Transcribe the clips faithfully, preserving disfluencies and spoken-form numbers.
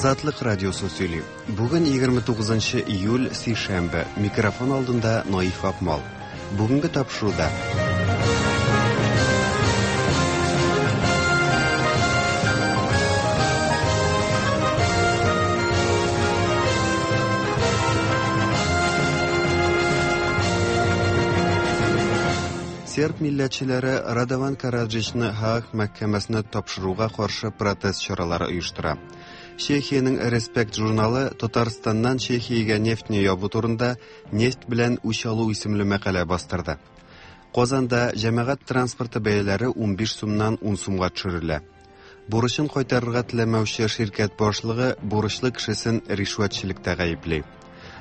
Азатлык радиосы сөйли. Бүген егерме тугызынчы июль, сишәмбе. Микрофон алдында Наиф Акмал. Бүгенге тапшыруда Серб милләтчеләре Радован Караджичны Һааг мәхкәмәсенә тапшыруга каршы протест чаралары оештыра. Чехиянең Респект журналы Татарстаннан Чехиягә нефтьне ябу турында «Нефть белән үч алу» исемле мәкалә бастырды. Казанда җәмәгать транспорты бәяләре унбиш сумнан ун сумга төшерелә. Бурычын кайтарырга теләмәүче ширкәт башлыгы бурычлы кешесен ришвәтчелектә гаепли.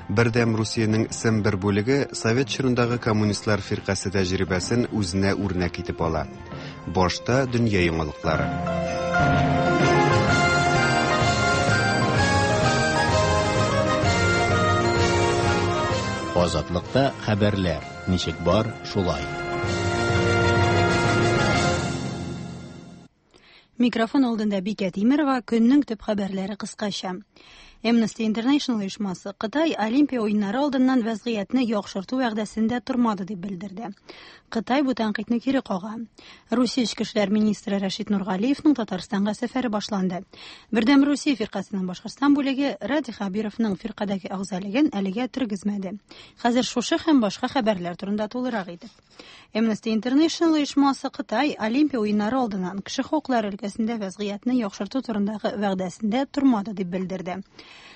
Бердәм Русиянең Сембер бүлеге Совет чорындагы коммунистлар фиркасе тәҗрибәсен үзенә үрнәк итеп ала. Башта дөнья яңалыклары. Азатлыкта хәбәрләр ничек бар, шулай. Микрофон алдында Бикә Тимирова, көннең төп хәбәрләре кыскача. Amnesty International оешмасы Кытай Олимпия уеннары алдыннан вәзгыятьне яхшырту вәгъдәсендә тормады дип белдерде. Кытай бу тәнкыйтьне кире кага. Русия эчке эшләр министры Рәшит Нургалиевның Татарстанга сәфәре башланды. Бердәм Русия фиркасының Башкортстан бүлеге Радий Хәбировның фиркадәге әгъзалыгын әлегә тергезмәде. Хәзер шушы һәм башка хәбәрләр турында тулырак итеп. Amnesty International оешмасы Кытай Олимпия уеннары алдыннан кеше хокуклары өлкәсендә вәзгыятьне яхшырту турындагы вәгъдәсендә тормады дип белдерде.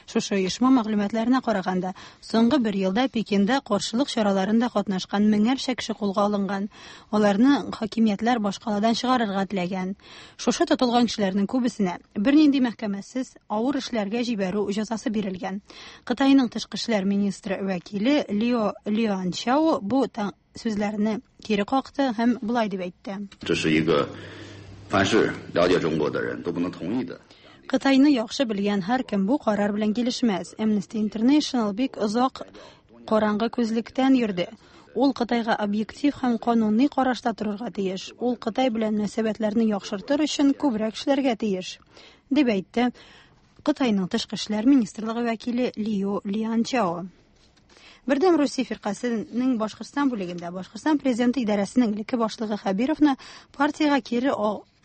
Шушы оешма мәгълүматларына караганда, соңгы бер елда Пекинда каршылык чараларында катнашкан меңәрчә кеше кулга алынган. Аларны хакимиятләр башкаладан чыгарырга теләгән. Шушы тотылган кешеләрнең күбесенә бернинди мәхкәмәсез авыр эшләргә җибәрү җәзасы бирелгән. Кытайның тышкы эшләр министры вәкиле Лио Лианчао бу сүзләрне кире какты һәм болай дип әйтте. Кытайны яхшы белгән һәркем бу карар белән килешмәс. Amnesty International бик озак караңгы күзлектән йөрде. Ул Кытайга объектив һәм кануни карашта торырга тиеш. Ул Кытай белән мөнәсәбәтләрне яхшыртыр өчен күбрәк эшләргә тиеш, дип әйтте Кытайның тышкы эшләр министрлыгы вәкиле Лио Лианчао. Бердәм Русия фиркасының Башкортстан бүлегендә Башкортстан президенты идарәсенең элекке башлыгы Хәбировны партиягә кире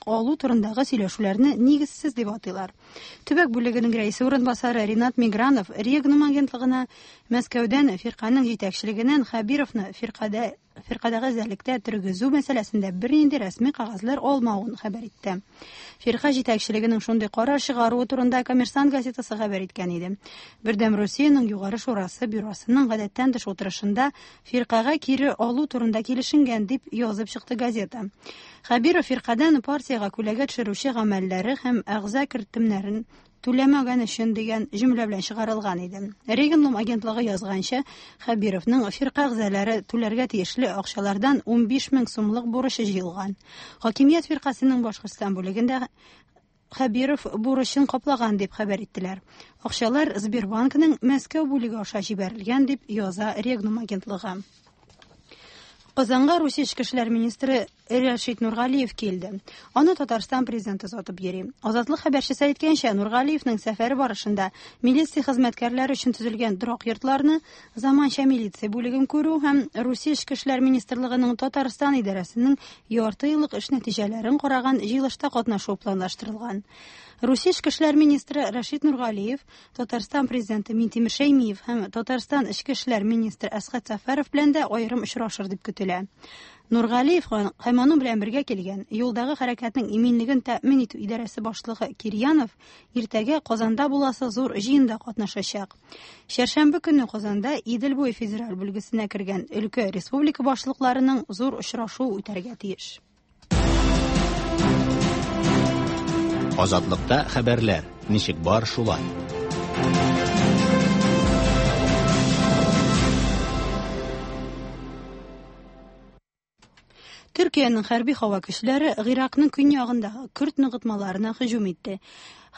алу турындагы сөйләшүләрне нигезсез дип атыйлар. Төбәк бүлегенең рәисе урынбасары Ринат Мигранов Регнум агентлыгына Мәскәүдән фирканың җитәкчелегеннән Хәбировны фиркадә фиркадәге әзерлектә тергезү мәсьәләсендә бернинди рәсми кәгазьләр алмавын хәбәр итте. Фирка җитәкчелегенең шундый карар чыгаруы турында Коммерсант газетасы хәбәр иткән иде. Бердәм Русиянең Югары шурасы бюросының гадәттән тыш утырышында фиркага кире алу турында килешенгән дип язып чыкты газета. Хәбиров фиркадан партиягә күләгә төшерүче гамәлләре һәм әгъза кертемнәрен түләмәгән өчен дигән җөмлә белән чыгарылган иде. Регнум агентлыгы язганча, Хәбировның фирка әгъзалары түләргә тиешле акчалардан унбиш мең сумлык бурычы җыелган. Хакимият фиркасының Башкортстан бүлегендә Хәбиров бурычын каплаган дип хәбәр иттеләр. Акчалар Сбербанкның Мәскәү бүлеге аша җибәрелгән дип яза Регнум агентлыгы. Казанга Русия эчке эшләр министры Рәшит Нургалиев килде. Аны Татарстан президенты озатып йөри. Азатлык хәбәрчесе әйткәнчә, Нургалиевның сәфәре барышында милиция хезмәткәрләре өчен төзелгән торак йортларны, заманча милиция бүлеген күрү һәм Русия эчке эшләр министрлыгының Татарстан идарәсенең ярты еллык эш нәтиҗәләрен караган җыелышта катнашу планлаштырылган. Русия эчке эшләр министры Рәшит Нургалиев, Татарстан президенты Минтимер Шәймиев һәм Татарстан эчке эшләр министры Әсхәт Сәфәров белән дә аерым очрашыр дип көтелә. Нургалиев һәм аның белән бергә килгән юлдагы хәрәкәтнең иминлеген тәэмин итү идарәсе башлыгы Кирьянов иртәгә Казанда буласы зур җыенда катнашачак. Чәршәмбе көнне Казанда Идел буе федераль бүлгесенә кергән өлкә республика башлыкларының зур очрашуы үтәргә тиеш. Азатлыкта хәбәрләр ничек бар, шулай. Төркиянең хәрби һава көчләре Гыйракның көньягындагы көрд ныгытмаларына һөҗүм итте.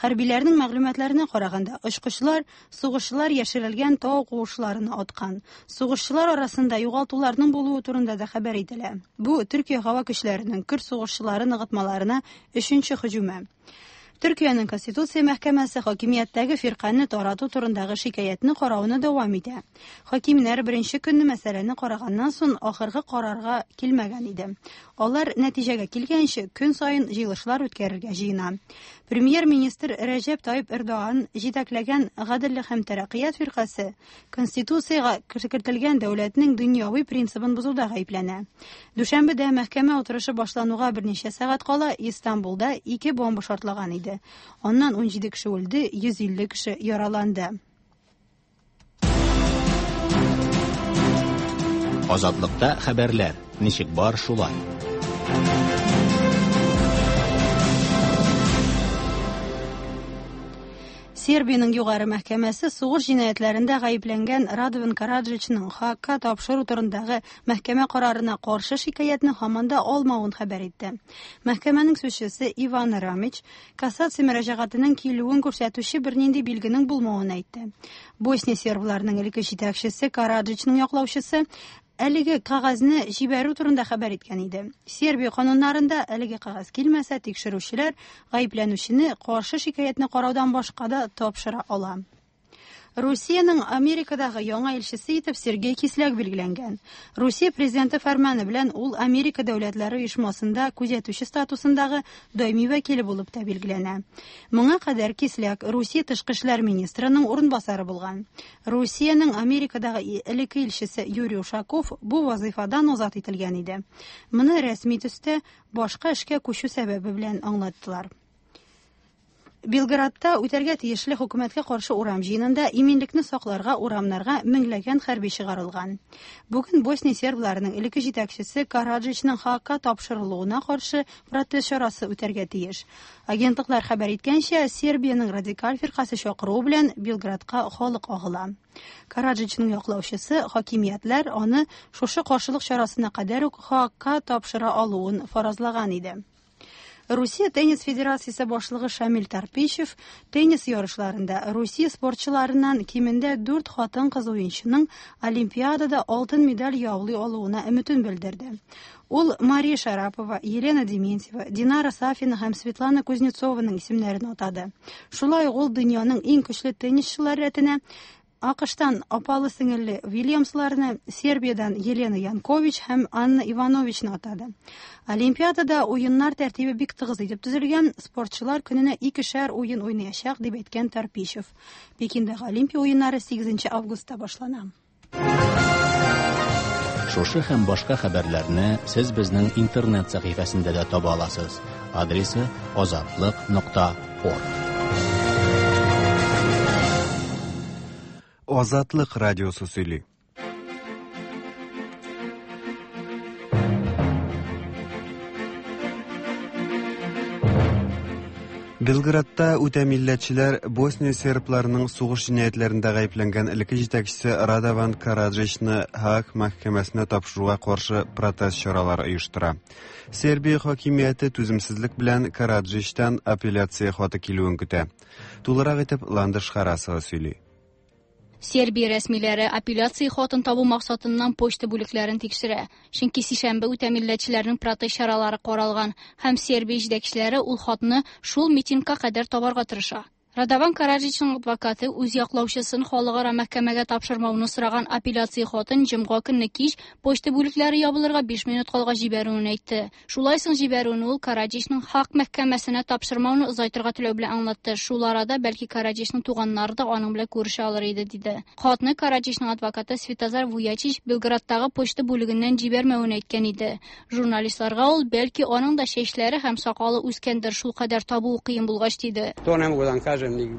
Хәрбиләрнең мәгълүматларына караганда, очкычлар сугышчылар яшерелгән тау куышларына аткан. Сугышчылар арасында югалтуларның булуы турында да хәбәр ителә. Бу Төркия һава көчләренең көрд сугышчылары ныгытмаларына өченче һөҗүме. Төркиянең Конституция мәхкәмәсе хакимияттәге фиркане тарату турындагы шикаятьне карауны дәвам итә. Хакимнәр беренче көнне мәсьәләне караганнан соң ахыргы карарга килмәгән иде. Алар нәтиҗәгә килгәнче көн саен җыелышлар үткәрергә җыена. Премьер-министр Рәҗәп Тайип Эрдоган җитәкләгән Гаделлек һәм тәрәккыят фиркасе Конституциягә кертелгән дәүләтнең дөньяви принцибын бозуда гаепләнә. Дүшәмбедә мәхкәмә утырышы башлануга берничә сәгать кала Истанбулда ике бомба шартлаган иде. Аннан ун җиде кеше үлде, йөз илле кеше яраланды. Азатлыкта хәбәрләр ничек бар шулай. Сербиянең югары мәхкәмәсе сугыш җинаятьләрендә гаепләнгән Радован Караджичның Хаагка тапшыру турындагы мәхкәмә карарына каршы шикаятьне һаман да алмавын хәбәр итте. Мәхкәмәнең сүзчесе Иван Рамич кассация мөрәҗәгатенең килүен күрсәтүче бернинди билгенең булмавын әйтте. Босния сербларының элекке җитәкчесе Караджичның яклаучысы әлеге кәгазьне җибәрү турында хәбәр иткән иде. Сербия кануннарында әлеге кәгазь килмәсә, тикшерүчеләр гаепләнүчене каршы шикаятьне караудан башка да тапшыра ала. Русиянең Америкадагы яңа илчесе итеп Сергей Кисляк билгеләнгән. Русия президенты фәрманы белән ул Америка дәүләтләре оешмасында күзәтүче статусындагы даими вәкиле булып та билгеләнә. Моңа кадәр Кисляк Русия тышкы эшләр министрының урынбасары булган. Русиянең Америкадагы элекке илчесе Юрий Ушаков бу вазыйфадан азат ителгән иде. Моны рәсми төстә башка эшкә күчү сәбәбе белән аңлаттылар. Белградта үтәргә тиешле хөкүмәткә каршы урам җыенында иминлекне сакларга урамнарга меңләгән хәрби чыгарылган. Бүген Босния сербларының элекке җитәкчесе Караджичның Хаагка тапшырылуына каршы протест чарасы үтәргә тиеш. Агентлыклар хәбәр иткәнчә, Сербиянең радикаль фиркасе чакыруы белән Белградка халык агыла. Караджичның яклаучысы хакимиятләр аны шушы каршылык чарасына кадәр үк Хаагка тапшыра алуын фаразлаган иде. Русия теннис федерациясе башлыгы Шамил Тарпищев теннис ярышларында Русия спортчыларыннан кимендә дүрт хатын-кыз уенчының Олимпиадада алтын медаль яулый алуына өметен белдерде. Ул Мария Шарапова, Елена Дементьева, Динара Сафина һәм Светлана Кузнецованың исемнәрен атады. Шулай ук ул дөньяның иң көчле теннисчылары рәтенә АКШтан апалы сеңелле Вильямсларны, Сербиядан Елена Янкович һәм Анна Ивановичны атады. Олимпиадада уеннар тәртибе бик тыгыз итеп төзелгән, спортчылар көненә икешәр уен уйнаячак, дип әйткән Тарпищев. Пекиндагы Олимпия уеннары сигезенче августта башлана. Шушы һәм башка хәбәрләрне сез безнең интернет сәхифәсендә дә таба аласыз. Адресы азатлык нокта орг. Азатлык радиосы сөйли. Белградта үтә милләтчеләр Босния сербларының сугыш җинаятьләрендә гаепләнгән элекке җитәкчесе Радован Караджичны Һааг мәхкәмәсенә тапшыруга каршы протест чаралары оештыра. Сербия хакимияте түземсезлек белән Караджичтан апелляция хаты килүен көтә. Тулырак итеп Ландыш Харасова сөйли. Сербия рәсмиләре апелляция хатын табу максатыннан почта бүлекләрен тикшерә. Чөнки сишәмбе үтә милләтчеләрнең протест чаралары каралган һәм Сербия җитәкчеләре ул хатны шул митингка кадәр табарга тырыша. Радован Караджичның адвокаты үз яклаучысын халыкара мәхкәмәгә тапшырмауны сораган апелляция хатын җомга көнне кич почта бүлекләре ябылырга биш минут калгач җибәрүен әйтте. Шулай соң җибәрүен ул Караджичның Һааг мәхкәмәсенә тапшырмауны озайтырга теләү белән аңлатты. Шул арада бәлки Караджичның туганнары да аның белән күрешә алыр иде, диде. Хатны Караджичның адвокаты Светозар Вуячич Белградтагы почта бүлегеннән җибәрмәвен әйткән иде. Журналистларга ул бәлки аның да чәчләре һәм сакалы үскәндер, шул кадәр табуы кыен булгач, диде. Мин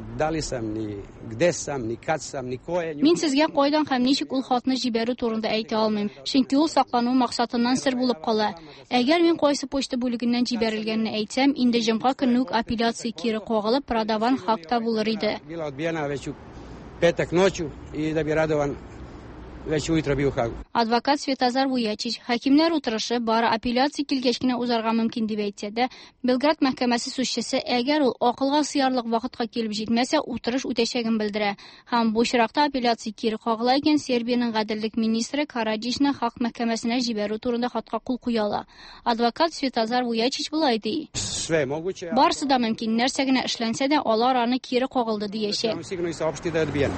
сезгә кайдан һәм ничек ул хатны җибәрү турында әйтә алмыйм, чөнки ул саклану максатыннан сер булып кала. Әгәр мин кайсы почта бүлегеннән җибәрелгәнне әйтсәм, инде җомга көнне үк апелляция кире кагылып, Радован Һаагта булыр иде. Петак ночью и да би Радован već ujutro bio u Hagu. Адвокат Светозар Вуячич хакимнәр утырышы бары апелляция килгәч кенә узарга мөмкин дип әйтсә дә, Белград мәхкәмәсе сүзчесе әгәр ул акылга сыярлык вакытка килеп җитмәсә, утырыш үтәчәген белдерә. Һәм бу очракта апелляция кире кагыла икән, Сербиянең гаделлек министры Караджичны Хак мәхкәмәсенә җибәрү турында хатка кул куя ала. Адвокат Светозар Вуячич болай ди. Sve je moguće. Барысы да мөмкин, нәрсә генә эшләнсә дә, алар аны кире кагылды диячәк. Sigurno i saopštiti da je odbijeno.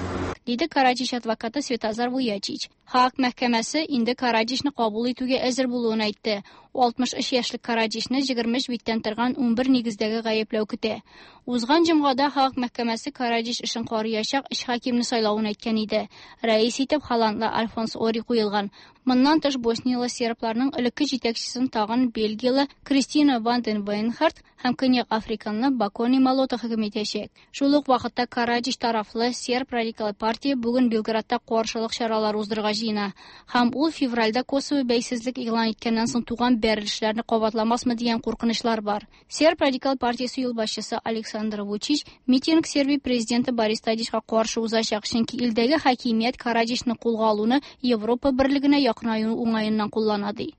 Диде Караджич адвокаты Светозар Вуячич. Хак мәхкәмәсе инде Караджичны кабул итүгә әзер булуын әйтте. алтмыш өч яшьлек Караджичны егерме өч биттән торган унбер нигездәге гаепләү көтә. Узган җомгада Хак мәхкәмәсе Караджич эшен карыячак өч хакимне сайлавын әйткән иде. Рәис итеп холландлы Альфонс Ори куелган. Моннан тыш босниялы сербларның элекке җитәкчесен тагын бельгиялы Кристина Ванден Вейнхарт һәм Көньяк Африканлы Бакони Малота хөкем итәчәк. Шул ук вакытта Караджич тарафлы серб радикал партия бүген Белградта каршылык чаралары уздырырга җыена. Һәм ул февральдә Косово бәйсезлек игълан иткәннән соң туган бәрелешләрне кабатламасмы дигән куркынычлар бар. Серб радикал партиясе юлбашчысы Александр Вучич митинг Сербия президенты Борис Тадичка каршы узачак, чөнки илдәге хакимият Караджичны кулга алуны Европа берлегенә якынаю уңаеннан куллана ди.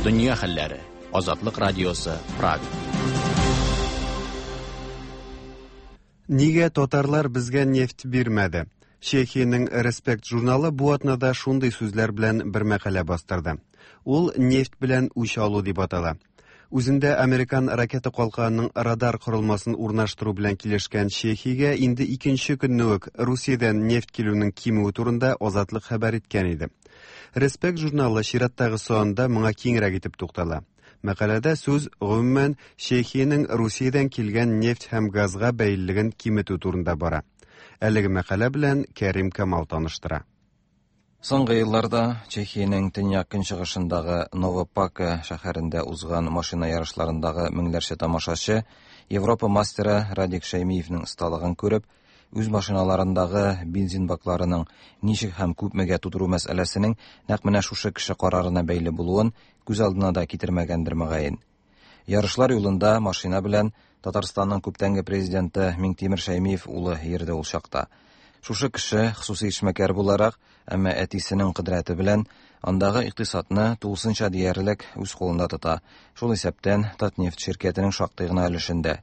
Дөнья хәлләре. Азатлык радиосы, Прага. Нигә татарлар безгә нефть бирмәде? Чехиянең Респект журналы бу атнада шундый сүзләр белән бер мәкалә бастырды. Ул нефть белән үч алу дип атала. Үзендә американ ракета калканының радар корылмасын урнаштыру белән килешкән Чехиягә инде икенче көнне үк Русиядән нефть килүнең кимүе турында Азатлык хәбәр иткән иде. Респект журналы чираттагы санында моңа киңрәк итеп туктала. Мәкаләдә сүз гомумән Чехиянең Русиядән килгән нефть һәм газга бәйлелеген киметү турында бара. Әлеге мәкалә белән Кәрим Камал таныштыра. Соңгы елларда Чехиянең төньяк көнчыгышындагы Новопака шәһәрендә узган машина ярышларындагы меңләрчә тамашачы Европа мастеры Радик Шәймиевнең осталыгын күреп, үз машиналарындагы бензин бакларының ничек һәм күпмегә тутыру мәсьәләсенең нәкъ менә шушы кеше карарына бәйле булуын күз алдына да китермәгәндер мөгаен. Ярышлар юлында машина белән Татарстанның күптәнге президенты Миңтимер Шәймиев улы йөрде ул чакта. Шушы кеше хосусый эшмәкәр буларак, әмма әтисенең кодрәте белән андагы икътисадны тулысынча диярлек үз кулында тота. Шул исәптән Татнефть ширкәтенең шактый гына өлешендә.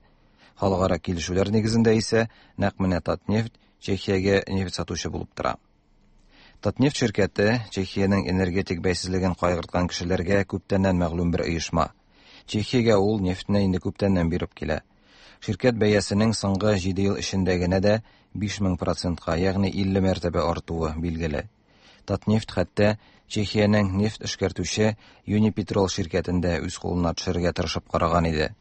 Халыкара килешүләр нигезендә исә нәкъ менә Татнефть Чехиягә нефть сатучы булып тора. Татнефть ширкәте Чехиянең энергетик бәйсезлеген кайгырткан кешеләргә күптәннән мәгълүм бер оешма. Чехиягә ул нефтьне инде күптәннән биреп килә. Ширкәт бәясенең соңгы җиде ел эчендә генә дә биш мең процентка, ягъни илле мәртәбә артуы билгеле. Татнефть хәтта Чехиянең нефть эшкәртүче Юнипетрол ширкәтен дә үз кулына төшерергә тырышып караган иде.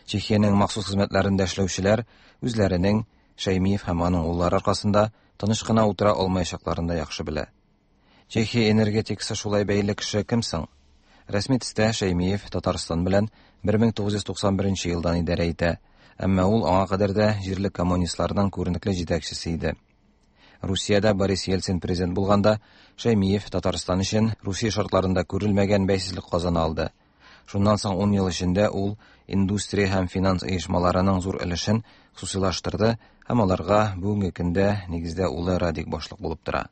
Чехиянең махсус хезмәтләрендә эшләүчеләр үзләренең Шәймиев һәм аның уллары аркасында тыныч кына утыра алмаячакларын да яхшы белә. Чехия энергетикасы шулай бәйле кеше кем соң? Рәсми төстә Шәймиев Татарстан белән бер мең тугыз йөз туксан беренче елдан идарә итә, әмма ул аңа кадәр дә җирле коммунистларның күренекле җитәкчесе иде. Русиядә Борис Ельцин президент булганда Шәймиев Татарстан өчен Русия шартларында күрелмәгән бәйсезлек казана алды. Шуннан соң ун ел эчендә ул индустрия һәм финанс оешмаларының зур өлешен хосусыйлаштырды һәм аларга бүгенге көндә нигездә улы Радик башлык булып тора.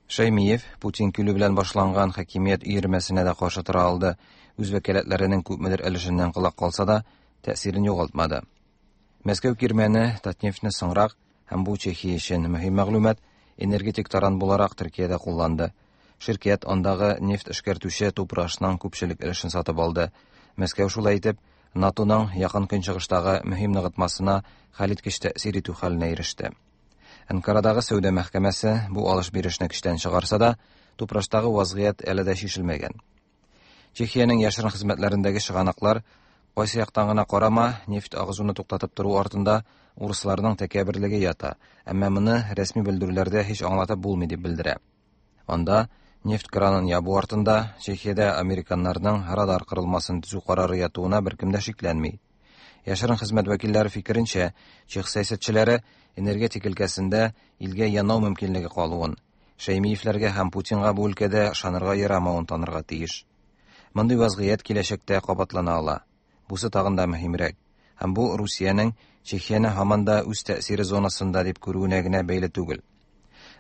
Шәймиев Путин килү белән башланган хакимият өермәсенә дә каршы тора алды. Үз вәкаләтләренең күпмедер өлешеннән колак калса да, тәэсирен югалтмады. Мәскәү кирмәне Татнефтьне соңрак һәм бу Чехия өчен мөһим мәгълүмат энергетик таран буларак Төркиядә кулланды. Ширкәт андагы нефть эшкәртүче Тупрашның күпчелек өлешен сатып алды. Мәскәү шулай итеп НАТОның якын көнчыгыштагы мөһим ныгытмасына хәлиткеч тәэсир итү хәленә иреште. Анкарадагы сәүдә мәхкәмәсе бу алыш-бирешне көчтән чыгарса да, Тупраштагы вазгыять әле дә чишелмәгән. Чехиянең яшерен хезмәтләрендәге чыганаклар кайсы яктан гына карама, нефть агызуны туктатып тору артында урысларның тәкәбберлеге ята, әмма моны рәсми белдерүләрдә һич аңлатып булмый дип белдерә. Анда нефть кранын ябу артында Чехиядә американнарның радар корылмасын төзү карары ятуына беркем дә шикләнми. Яшерен хезмәт вәкилләре фикеренчә, чех сәясәтчеләре энергетик өлкәсендә илгә янау мөмкинлеге калуын, Шәймиевләргә һәм Путинга бу өлкәдә ышанырга ярамавын танырга тиеш. Мондый вазгыять киләчәктә кабатлана ала. Бусы тагын да мөһимрәк. Һәм бу Русиянең Чехияне һаман да үз тәэсире зонасында дип күрүенә генә бәйле түгел.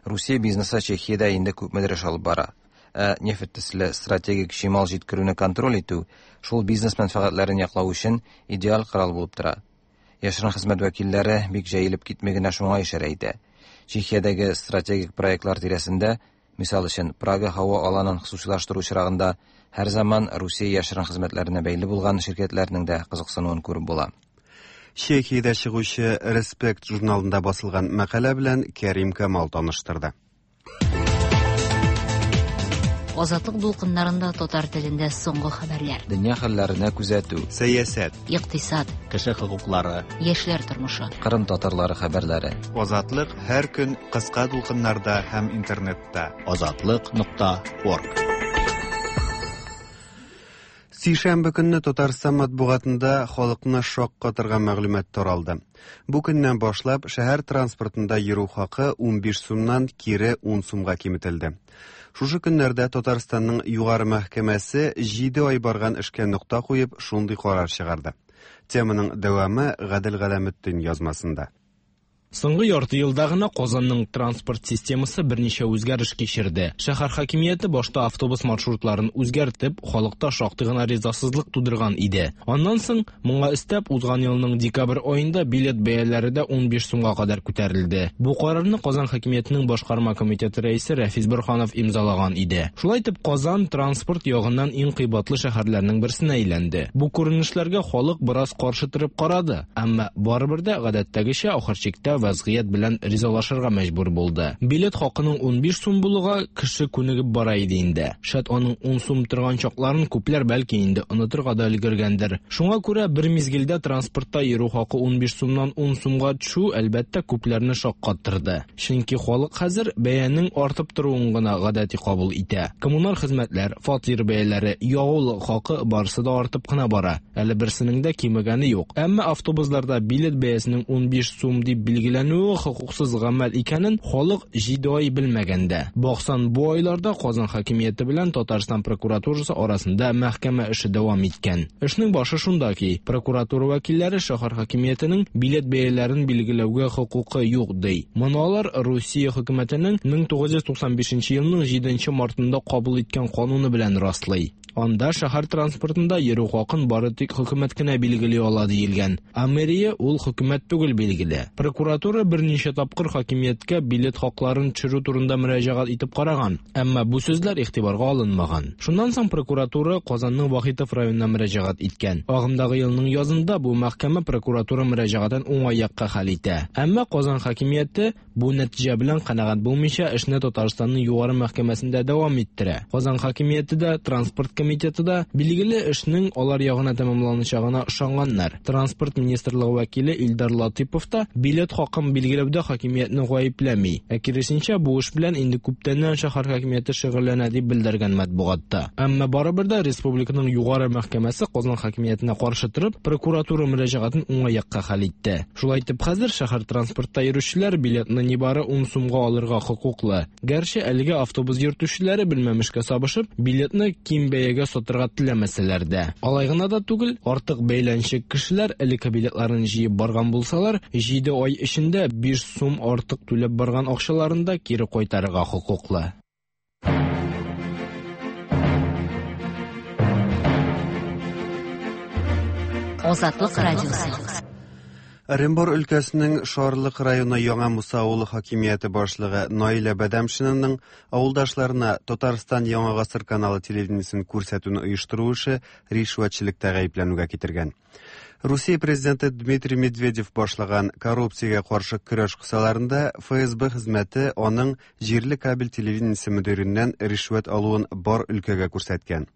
Русия бизнесы Чехиядә инде күпмедер эш алып бара. Ә нефть төсле стратегик чимал җиткерүне контроль итү шул бизнес мәнфәгатьләрен яклау өчен идеаль корал булып тора. Яшерен хезмәт вәкилләре бик җәелеп китми генә шуңа ишарә итә. Чехиядәге стратегик проектлар тирәсендә, мисал өчен, Прага һава аланын хосусыйлаштыру очрагында һәр заман Русия яшерен хезмәтләренә бәйле булган ширкәтләрнең дә кызыксынуын күреп була. Чехиядә чыгучы Респект журналында басылган мәкалә белән Кәрим Камал таныштырды. Азатлык дулкыннарында татар телендә соңгы хәбәрләр. Дөнья хәлләренә күзәтү, сәясәт, икътисад, кеше хокуклары, яшьләр тормышы, Кырым татарлары хәбәрләре. Азатлык һәр көн кыска дулкыннарда һәм интернетта. Азатлык нокта орг. Сишәмбе көнне Татарстан матбугатында халыкны шаккатырган мәгълүмат таралды. Бу көннән башлап шәһәр транспортында йөрү хакы унбиш сумнан кире ун сумга киметелде. Шушы көннәрдә Татарстанның югары мәхкәмәсе җиде ай барган эшкә нокта куеп шундый карар чыгарды. Теманың дәвамы Гадел Галәметдин язмасында. Соңгы ярты елда гына Казанның транспорт системасы берничә үзгәреш кичерде. Шәһәр хакимияте башта автобус маршрутларын үзгәртеп, халыкта шактый гына ризасызлык тудырган иде. Аннан соң моңа өстәп узган елның декабрь аенда билет бәяләре дә унбиш сумга кадәр күтәрелде. Бу карарны Казан хакимиятенең башкарма комитеты рәисе Рәфис Борһанов имзалаган иде. Шулай итеп Казан транспорт ягыннан иң кыйбатлы шәһәрләрнең берсенә әйләнде. Бу күренешләргә халык бераз каршы торып карады, әмма барыбер дә гадәттәгечә ахыр чиктә вазгыять белән ризалашырга мәҗбүр булды. Билет хакының унбиш сум булуга кеше күнегеп бара иде инде. Шәт аның ун сум торган чакларын күпләр бәлки инде онытырга да өлгергәндер. Шуңа күрә бер мизгелдә транспортта йөрү хакы унбиш сумнан ун сумга төшү әлбәттә күпләрне шаккаттырды. Чөнки халык хәзер бәянең артып торуын гына гадәти кабул итә. Коммуналь хезмәтләр, фатир бәяләре, ягулык хакы барысы да артып кына бара. Әле берсенең дә кимегәне юк. Әмма автобусларда билет бәясенең унбиш сум дип билгеләнүе хокуксыз гамәл икәнен халык җиде ай белмәгәндә. Баксан, бу айларда Казан хакимияте белән Татарстан прокуратурасы арасында мәхкәмә эше дәвам иткән. Эшнең башы шунда ки, прокуратура вәкилләре шәһәр хакимиятенең билет бәяләрен билгеләүгә хокукы юк ди. Моны алар Русия хөкүмәтенең мең тугыз йөз туксан бишенче елның җиденче мартында кабул иткән кануны белән раслый. Анда шәһәр транспортында йөрү хакын бары тик хөкүмәт кенә билгели ала диелгән. Ә мэрия ул хөкүмәт түгел билгеле. Прокуратура берничә тапкыр хакимияткә билет хакларын төшерү турында мөрәҗәгать итеп караган, әмма бу сүзләр игътибарга алынмаган. Шуннан соң прокуратура Казанның Вахитов районына мөрәҗәгать иткән. Агымдагы елның язында бу мәхкәмә прокуратура мөрәҗәгатен уңай якка хәл итә. Әмма Казан хакимияте бу нәтиҗә белән канәгать булмыйча эшне Татарстанның югары мәхкәмәсендә дәвам иттерә. Казан хакимияте дә, транспорт комитеты да билгеле эшнең алар ягына тәмамланачагына ышанганнар. Транспорт министрлыгы вәкиле Илдар Латипов та билет хакын билгеләүдә хакимиятне гаепләми. Ә киресенчә, бу эш белән инде күптәннән шәһәр хакимияте шөгыльләнә дип белдергән матбугатта. Әмма барыбер дә республиканың югары мәхкәмәсе Казан хакимиятенә каршы торып, прокуратура мөрәҗәгатен уңай якка хәл итте. Шулай итеп хәзер шәһәр транспортта йөрүчеләр билетны нибары ун сумга алырга хокуклы. Гәрчә әлегә автобус йөртүчеләре белмәмешкә сабышып, билетны ким бәягә сатырга теләмәсәләр дә. Алай гына да түгел, артык бәйләнчек кешеләр элекке билетларын җыеп барган булсалар, җиде ай эчендә биш сум артык түләп барган акчаларын да кире кайтарырга хокуклы. Азатлык радиосы. Оренбур өлкәсенең Шарлык районы Яңа Муса авылы хакимияте башлыгы Наилә Бәдәмшинаның авылдашларына Татарстан Яңа Гасыр каналы телевидениесен күрсәтүне оештыру эше ришвәтчелектә гаепләнүгә китергән. Русия президенты Дмитрий Медведев башлаган коррупциягә каршы көрәш кысаларында Эф Эс Бэ хезмәте аның җирле кабель телевидениесе мөдиреннән ришвәт алуын бар өлкәгә күрсәткән.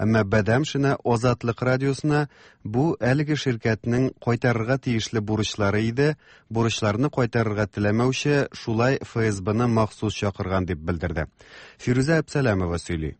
Әмма Бәдәмшина Азатлык радиосына бу әлеге ширкәтнең кайтарырга тиешле бурычлары иде, бурычларны кайтарырга теләмәүче шулай Эф Эс Бэ-ны махсус чакырган дип белдерде. Фирүзә Әпсәләмова сөйли.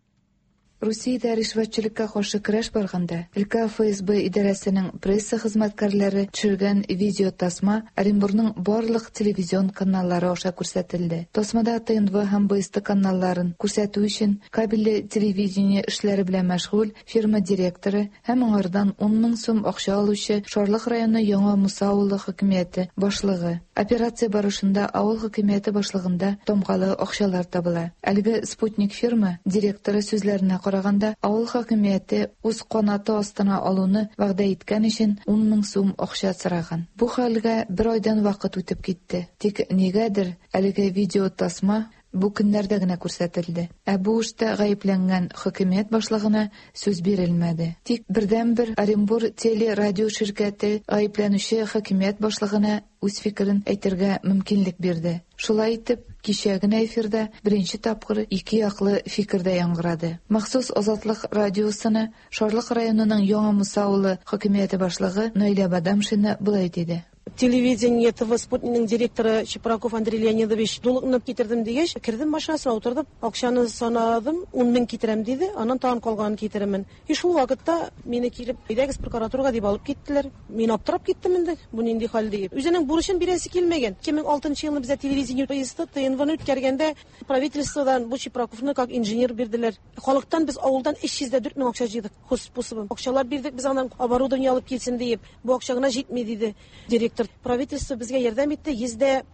Русиядә ришвәтчелеккә каршы көрәш барганда, өлкә Эф Эс Бэ идарәсенең пресса хезмәткәрләре төшергән видеотасма Оренбургның барлык телевизион каналлары аша күрсәтелде. Тасмада Тэ Эн Вэ һәм Бэ Эс Тэ каналларын күрсәтү өчен кабельле телевидение эшләре белән мәшгуль фирма директоры һәм аңардан ун мең сум акча алучы Шарлык районы Яңа Муса авылы хакимияте башлыгы. Операция барышында авыл хакимияте башлыгында тамгалы акчалар табыла. Әлеге Спутник фирма директоры сүзләренә караганда, авыл хакимияте үз канаты астына алуны вәгъдә иткән өчен ун мең сум акча сораган. Бу хәлгә бер айдан вакыт үтеп китте. Тик нигәдер әлеге видеотасма бу көннәрдә генә күрсәтелде. Ә бу эштә гаепләнгән хакимият башлыгына сүз бирелмәде. Тик бердәнбер Оренбур телерадио ширкәте гаепләнүче хакимият башлыгына үз фикерен әйтергә мөмкинлек бирде. Шулай итеп, кичә генә эфирда беренче тапкыр ике яклы фикер дә яңгырады. Махсус Азатлык радиосына Шарлык районының Яңа Муса авылы хакимияте башлыгы Наилә Бадамшина болай диде. Телевидение Тэ Вэ Спутникның директоры Чепраков Андрей Леонидович долгны китердем дигәч, кердем машинасына утырдым, акчаны санадым, ун мең китерәм диде, аннан тагын калганын китерәмен. И шул вакытта мине килеп, әйдәгез прокуратурага дип алып киттеләр. Мин аптырап киттем инде, бу нинди хәл дип. Үзенең бурычын бирәсе килмәгән. ике мең алтынчы елны бездә телевидение поезды Тэ Эн Вэ-ны үткәргәндә правительстводан бу Чепраковны как инженер бирделәр. Халыктан без авылдан өч йөз дә дүрт мең акча җыйдык, хозспособом. Акчалар бирдек без аннан оборудование алып килсен диеп. Бу акча гына җитми диде директор. Правительство безгә ярдәм итте, йөз дә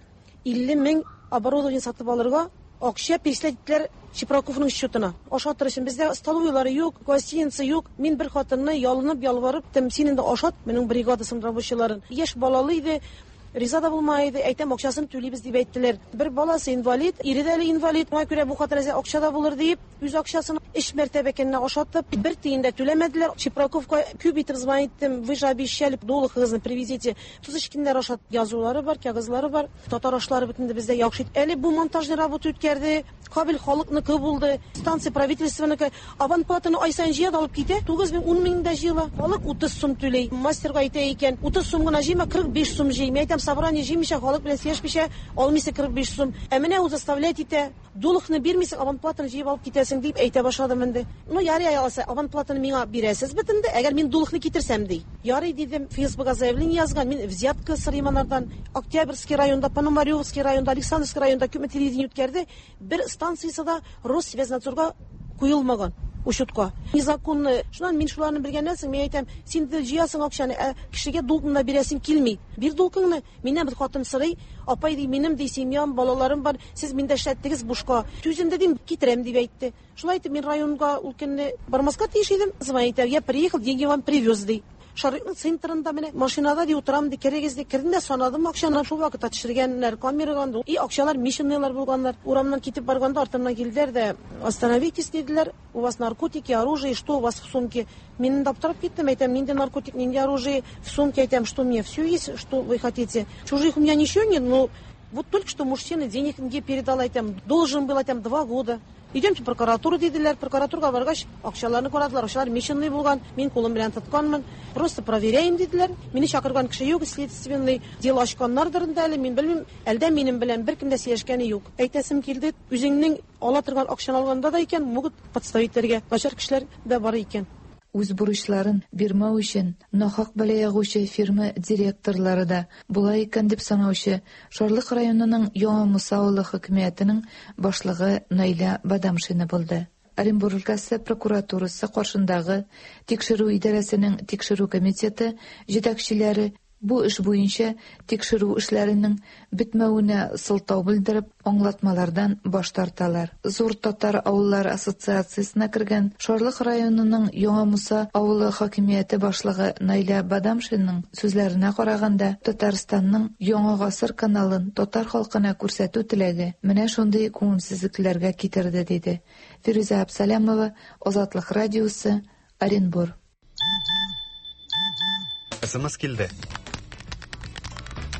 илле мең оборудование сатып алырга акча переслать иттеләр Чепраковның счетына. Ашатыр өчен бездә столовыйлары юк, гостиница юк. Мин бер хатынны ялынып ялварып, тем син инде ашат, минем бригадасын рабочийларын. Яшь балалы иде, риза да булмай иде, әйтәм акчасын түлибез дип әйттеләр. Бер баласы инвалид, ире дә әле инвалид. Шуңа күрә бу хатын әзә акча да булыр дип, үз акчасын өч мәртәбә көненә ашатып, бер тиен дә түләмәделәр. Чепраковка күп итеп звонить иттем, вы же обещали, долгыгызны привезите. Туз эчкеннәр ашат язулары бар, кәгазьләре бар. Татар ашлары бит инде бездә яхшы. Әле бу монтажный работа үткәрде. Кабель халыкныкы булды, станция правительственныкы. Аванплатаны ай саен җыя да алып китә, тугыз мең, ун мең дә җыела. Халык утыз сум түләй. Мастерга әйтә икән, утыз сум гына җыйма, кырык биш сум җый. Мин әйтәм, собрание җыймыйча, халык белән сөйләшмичә, алмыйсың кырык биш сум. Ә менә ул заставлять итә, долгны бирмисең, аванплатаны җыеп алып китәсең дип әйтә башладым инде. Ну, ярый алса, аванплатаны миңа бирәсез бит инде, әгәр мин долгны китерсәм ди. Ярый дидем, Фейсбукка заявление язган, мин взятка сорыйм анардан. Октябрьский районда, Пономаревский районда, Александровский районда күпме телевидение үткәрде, бер станциясе дә Россвязнадзорга куелмаган учетка. Незаконно. Шуннан мин шуларны белгәннән соң мин әйтәм, син дә җыясың акчаны, ә кешегә долгны да бирәсең килми. Бир долгыңны, миннән бер хатын сорый, апай ди, минем ди семьям, балаларым бар, сез миндә эшләттегез бушка. Түзем дә дим, китерәм дип әйтте. Шулай итеп мин районга ул көнне бармаска тиеш идем. Звонит, я приехал, деньги вам привез ди. Шарыкның центрында менә машинада ди утырам ди, керегез ди, кердем дә санадым акчаны, шул вакытта төшергәннәр камерага, и акчалар мишенныйлар булганнар. Урамнан китеп барганда артымнан килделәр дә, остановитесь диделәр, у вас наркотики, оружие, что у вас в сумке? Мин инде аптырап киттем, әйтәм, нинди наркотик, нинди оружие в сумке, әйтәм, что мне все есть, что вы хотите. Чужих у меня ничего нет, но вот только что мужчина денег мне передал, әйтәм, должен был, әйтәм, два года. Идемте в прокуратуру диделәр, прокуратурага баргач, акчаларны карадылар, акчалар мишенный булган, мин кулым белән тотканмын, просто проверяем диделәр. Мине чакырган кеше юк, следственный дело ачканнардыр инде әле, мин белмим, әлдә минем белән беркем дә сөйләшкәне юк. Әйтәсем килде, үзеңнең ала торган акчаны алганда да икән, могут подставить итәргә, начар кешеләр дә бар икән. Үз бурычларын бирмәү өчен нахак бәла ягучы фирма директорлары да була икән дип санаучы Шарлык районының Яңа Муса авылы хакимиятенең башлыгы Наилә Бадамшина булды. Оренбург өлкәсе прокуратурасы каршындагы тикшерү идарәсенең тикшерү комитеты җитәкчеләре бу эш буенча тикшерү эшләренең бетмәвенә сылтау белдереп, аңлатмалардан баш тарталар. Зур татар авыллары ассоциациясенә кергән Шарлык районының Яңа Муса авылы хакимияте башлыгы Наилә Бадамшинаның сүзләренә караганда, Татарстанның Яңа гасыр каналын татар халкына күрсәтү теләге менә шундый күңелсезлекләргә китерде, диде. Фирүзә Абсалямова, Азатлык радиосы, Оренбур. Эс Эм Эс килде.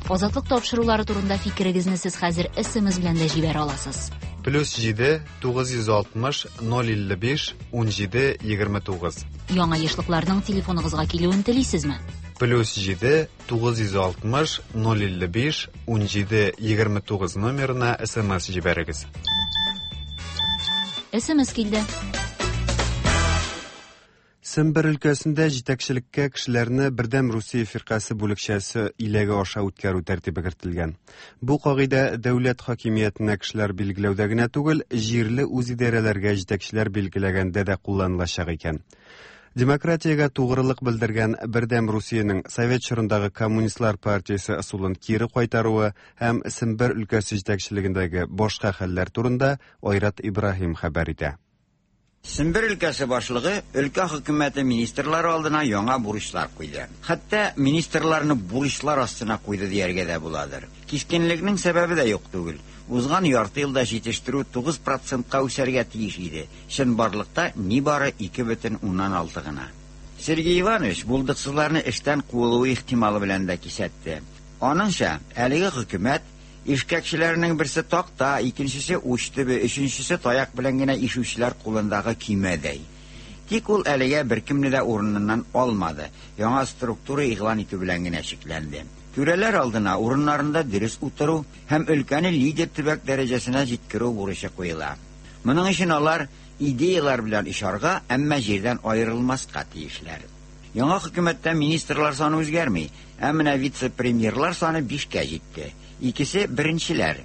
Азатлык тапшырулары турында фикерегезне сез хәзер Эс Эм Эс белән дә җибәрә аласыз. Плюс җиде, тугыз йөз алтмыш, ноль илле биш, ун җиде, егерме тугыз. Яңа ешлыкларның телефоныгызга килүен телисезме? Плюс җиде, тугыз йөз алтмыш, ноль илле биш, ун җиде, егерме тугыз номерына Эс Эм Эс җибәрегез. Эс Эм Эс килде. Сембер өлкәсендә җитәкчелеккә кешеләрне Бердәм Русия фиркасе бүлекчәсе иләге аша үткәрү тәртибе кертелгән. Бу кагыйдә дәүләт хакимиятенә кешеләр билгеләүдә генә түгел, җирле үзидарәләргә җитәкчеләр билгеләгәндә дә кулланылачак икән. Демократиягә тугрылык белдергән Бердәм Русиянең Совет чорындагы Коммунистлар партиясе ысулын кире кайтаруы һәм Сембер өлкәсе җитәкчелегендәге башка хәлләр турында Айрат Ибраһим хәбәр итә. Сембер өлкәсе башлыгы өлкә хөкүмәте министрлары алдына яңа бурычлар куйды. Хәтта министрларны бурычлар астына куйды дияргә дә буладыр. Кискенлекнең сәбәбе дә юк түгел. Узган ярты елда җитештерү тугыз процентка үсәргә тиеш иде. Чынбарлыкта нибары ике бөтен уннан алты гына. Сергей Иванович булдыксызларны эштән куылуы ихтималы белән дә кисәтте. Аныңча, әлеге хөкүмәт ишкәкчеләрнең берсе такта, икенчесе уч төбе, өченчесе таяк белән генә ишүчеләр кулындагы көймәдәй. Тик ул әлегә беркемне дә урыныннан алмады. Яңа структура игълан итү белән генә чикләнде. Түрәләр алдына урыннарында дөрес утыру һәм өлкәне лидер төбәк дәрәҗәсенә җиткерү бурычы куела. Моның өчен алар идеялар белән ишарга, әмма җирдән аерылмаска тиешләр. Яңа хөкүмәттә министрлар саны үзгәрми, ә менә вице-премьерлар саны бишкә җитте. Икесе беренчеләр.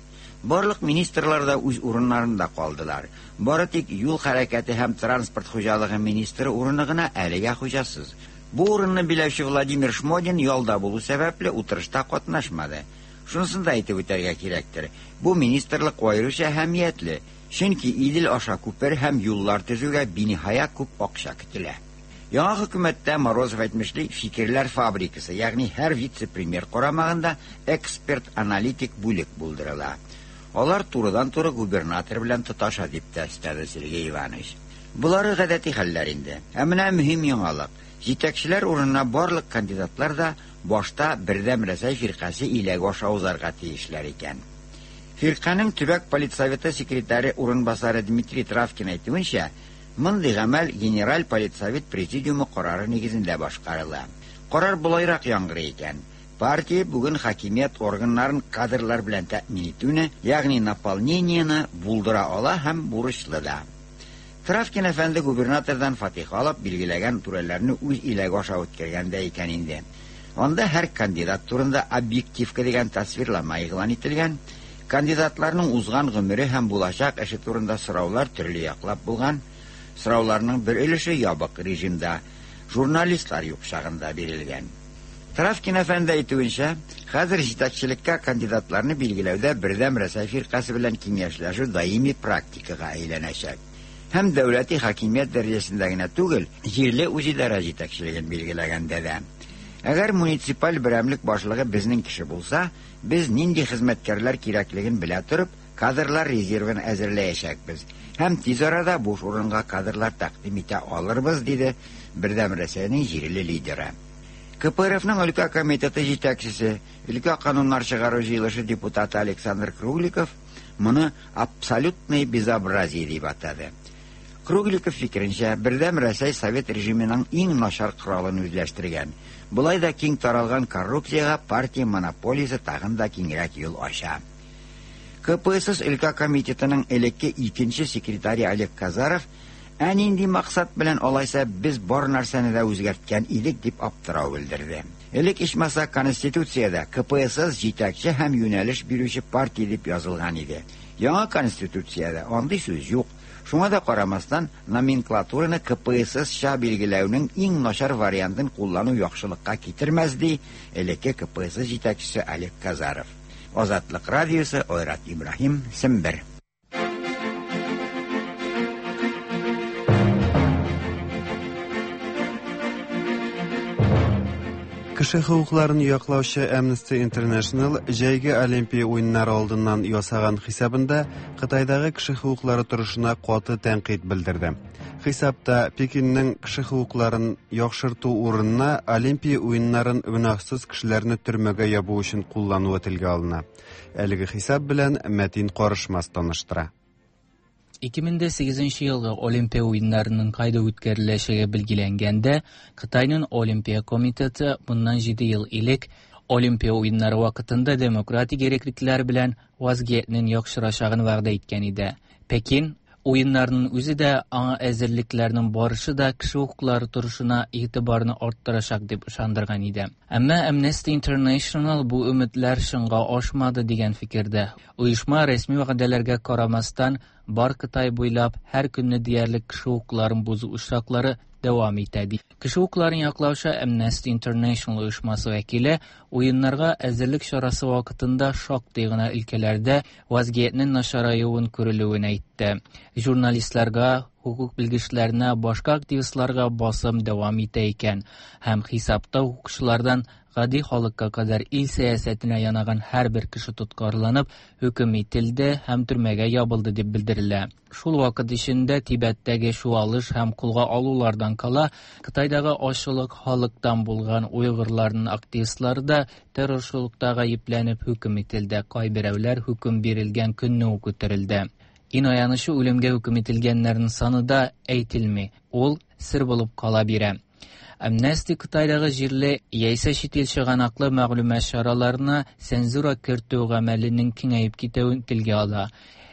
Барлык министрлар да үз урыннарында калдылар. Бары тик юл хәрәкәте һәм транспорт хуҗалыгы министры урыны гына әлегә хуҗасыз. Бу урынны биләүче Владимир Шмодин ялда булу сәбәпле утырышта катнашмады. Шунысын да әйтеп үтәргә кирәктер. Бу министрлык аеруча әһәмиятле, чөнки Идел аша күпер һәм юллар төзүгә биниһая күп акча көтелә. Яңа хөкүмәттә Морозов әйтмешли фикерләр фабрикасы, ягъни һәр вице-премьер карамагында эксперт-аналитик бүлек булдырыла. Алар турыдан-туры губернатор белән тоташа дип тә өстәде Сергей Иванович. Булары гадәти хәлләр инде. Ә менә мөһим яңалык. Җитәкчеләр урынына барлык кандидатлар да башта Бердәм Рәсәй фиркасе иләге аша узарга тиешләр икән. Фирканең төбәк политсоветы секретаре урынбасары Дмитрий Травкин әйтүенчә, мондый гамәл Генераль политсовет президиумы карары нигезендә башкарыла. Карар болайрак яңгырый икән. Партия бүген хакимият органнарын кадрлар белән тәэмин итүне, ягъни наполнениене булдыра ала һәм бурычлы да. Травкин әфәнде губернатордан фатиха алып билгеләгән түрәләрне үз иләге аша үткәргәндә икән инде. Анда һәр кандидат турында объективка дигән тасвирлама игълан ителгән, кандидатларның узган гомере һәм булачак эше турында сораулар төрле яклап булган. Сорауларның бер өлеше ябык режимда, журналистлар юк чагында бирелгән. Травкин әфәнде әйтүенчә, хәзер җитәкчелеккә кандидатларны билгеләүдә Бердәм Рәсәй фиркасе белән киңәшләшү даими практикага әйләнәчәк. Һәм дәүләти хакимият дәрәҗәсендә генә түгел, җирле үзидарә җитәкчелеген билгеләгәндә дә. Әгәр муниципаль берәмлек башлыгы безнең кеше булса, без нинди хезмәткәрләр кирәклеген белә торып, кадрлар резервын әзерләячәкбез. Һәм тиз арада буш урынга кадрлар тәкъдим итә алырбыз, диде Бердәм Рәсәйнең җирле лидеры. Ка Пэ Эр Эфның өлкә комитеты җитәкчесе, өлкә кануннар чыгару җыелышы депутаты Александр Кругликов моны абсолютный безобразие дип атады. Кругликов фикеренчә, Бердәм Рәсәй совет режимының иң начар коралын үзләштергән. Болай да киң таралган коррупциягә партия монополиясе тагын да киңрәк юл ача. Ка Пэ Эс Эс өлкә комитетының элекке икенче секретаре Олег Казаров ә нинди максат белән алайса без бар нәрсәне дә үзгәрткән идек дип аптырау белдерде. Элек ичмаса Конституциядә Ка Пэ Эс Эс җитәкче һәм юнәлеш бирүче партия дип язылган иде. Яңа Конституциядә андый сүз юк. Шуңа да карамастан номенклатураны Ка Пэ Эс Эс-ча билгеләүнең иң начар вариантын куллану яхшылыкка китермәс, ди элекке Ка Пэ Эс Эс җитәкчесе Олег Казаров. Азатлык радиосы, Айрат Ибраһим, Сембер. Кеше хокукларын яклаучы Amnesty International җәйге Олимпия уеннары алдыннан ясаган хисабында Кытайдагы кеше хокуклары торышына каты тәнкыйть белдерде. Хисапта Пекинның кеше хокукларын яхшырту урынына Олимпия уеннарын гөнаһсыз кешеләрне төрмәгә ябу өчен куллануы телгә алына. Әлеге хисап белән Мәтин Карышмас таныштыра. ике мең дә сигезенче елгы Олимпия уеннарының кайда үткәреләчәге билгеләнгәндә, Кытайның Олимпия комитеты моннан җиде ел элек Олимпия уеннары вакытында демократик иреклеләр белән вазгыятьнең яхшырачагын вәгъдә иткән иде. Пекин Уеннарның үзе дә, аңа әзерлекләрнең барышы да кеше хокуклары торышына игътибарны арттырачак дип ышандырган иде. Әмма Amnesty International бу өметләр чынга ашмады дигән фикердә. Оешма рәсми вәгъдәләргә карамастан, бар Кытай буйлап һәр көнне диярлек кеше хокукларын бозу очраклары дәвам итә ди. Кеше хокукларын яклаучы Amnesty International оешмасы вәкиле уеннарга әзерлек чарасы вакытында шактый гына өлкәләрдә вазгыятьнең начараюын күрелүен әйтте. Журналистларга, хукук белгечләренә, башка активистларга басым дәвам итә икән һәм хисапта хукукчылардан гади халыкка кадәр ил сәясәтенә янаган һәрбер кеше тоткарланып, хөкем ителде һәм төрмәгә ябылды дип белдерелә. Шул вакыт эчендә Тибеттәге чуалыш һәм кулга алулардан кала, Кытайдагы ачлык халыктан булган уйгырларның активистлары да террорчылыкта гаепләнеп хөкем ителде. Кайберәүләр хөкем бирелгән көнне үк үтерелде. Иң аянычы үлемгә хөкем ителгәннәрнең саны да әйтелми. Ул сер булып кала бирә. Amnesty Кытайдагы җирле яисә чит ил чыганаклы мәгълүмат чараларына цензура кертү гамәленең киңәеп китүен телгә ала.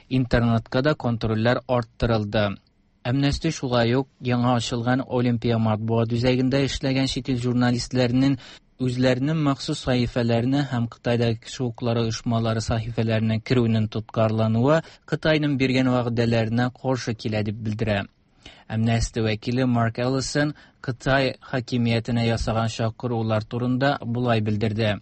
Интернетка да контрольләр арттырылды. Amnesty шулай ук яңа ачылган Олимпия матбугат үзәгендә эшләгән чит ил журналистларының үзләренең махсус сәхифәләренә һәм Кытайдагы кеше хокуклары оешмалары сәхифәләренә керүенең тоткарлануы Кытайның биргән вәгъдәләренә каршы килә дип белдерә. Amnesty вәкиле Марк Эллисон Кытай хакимиятенә ясаган чакырулар турында болай белдерде.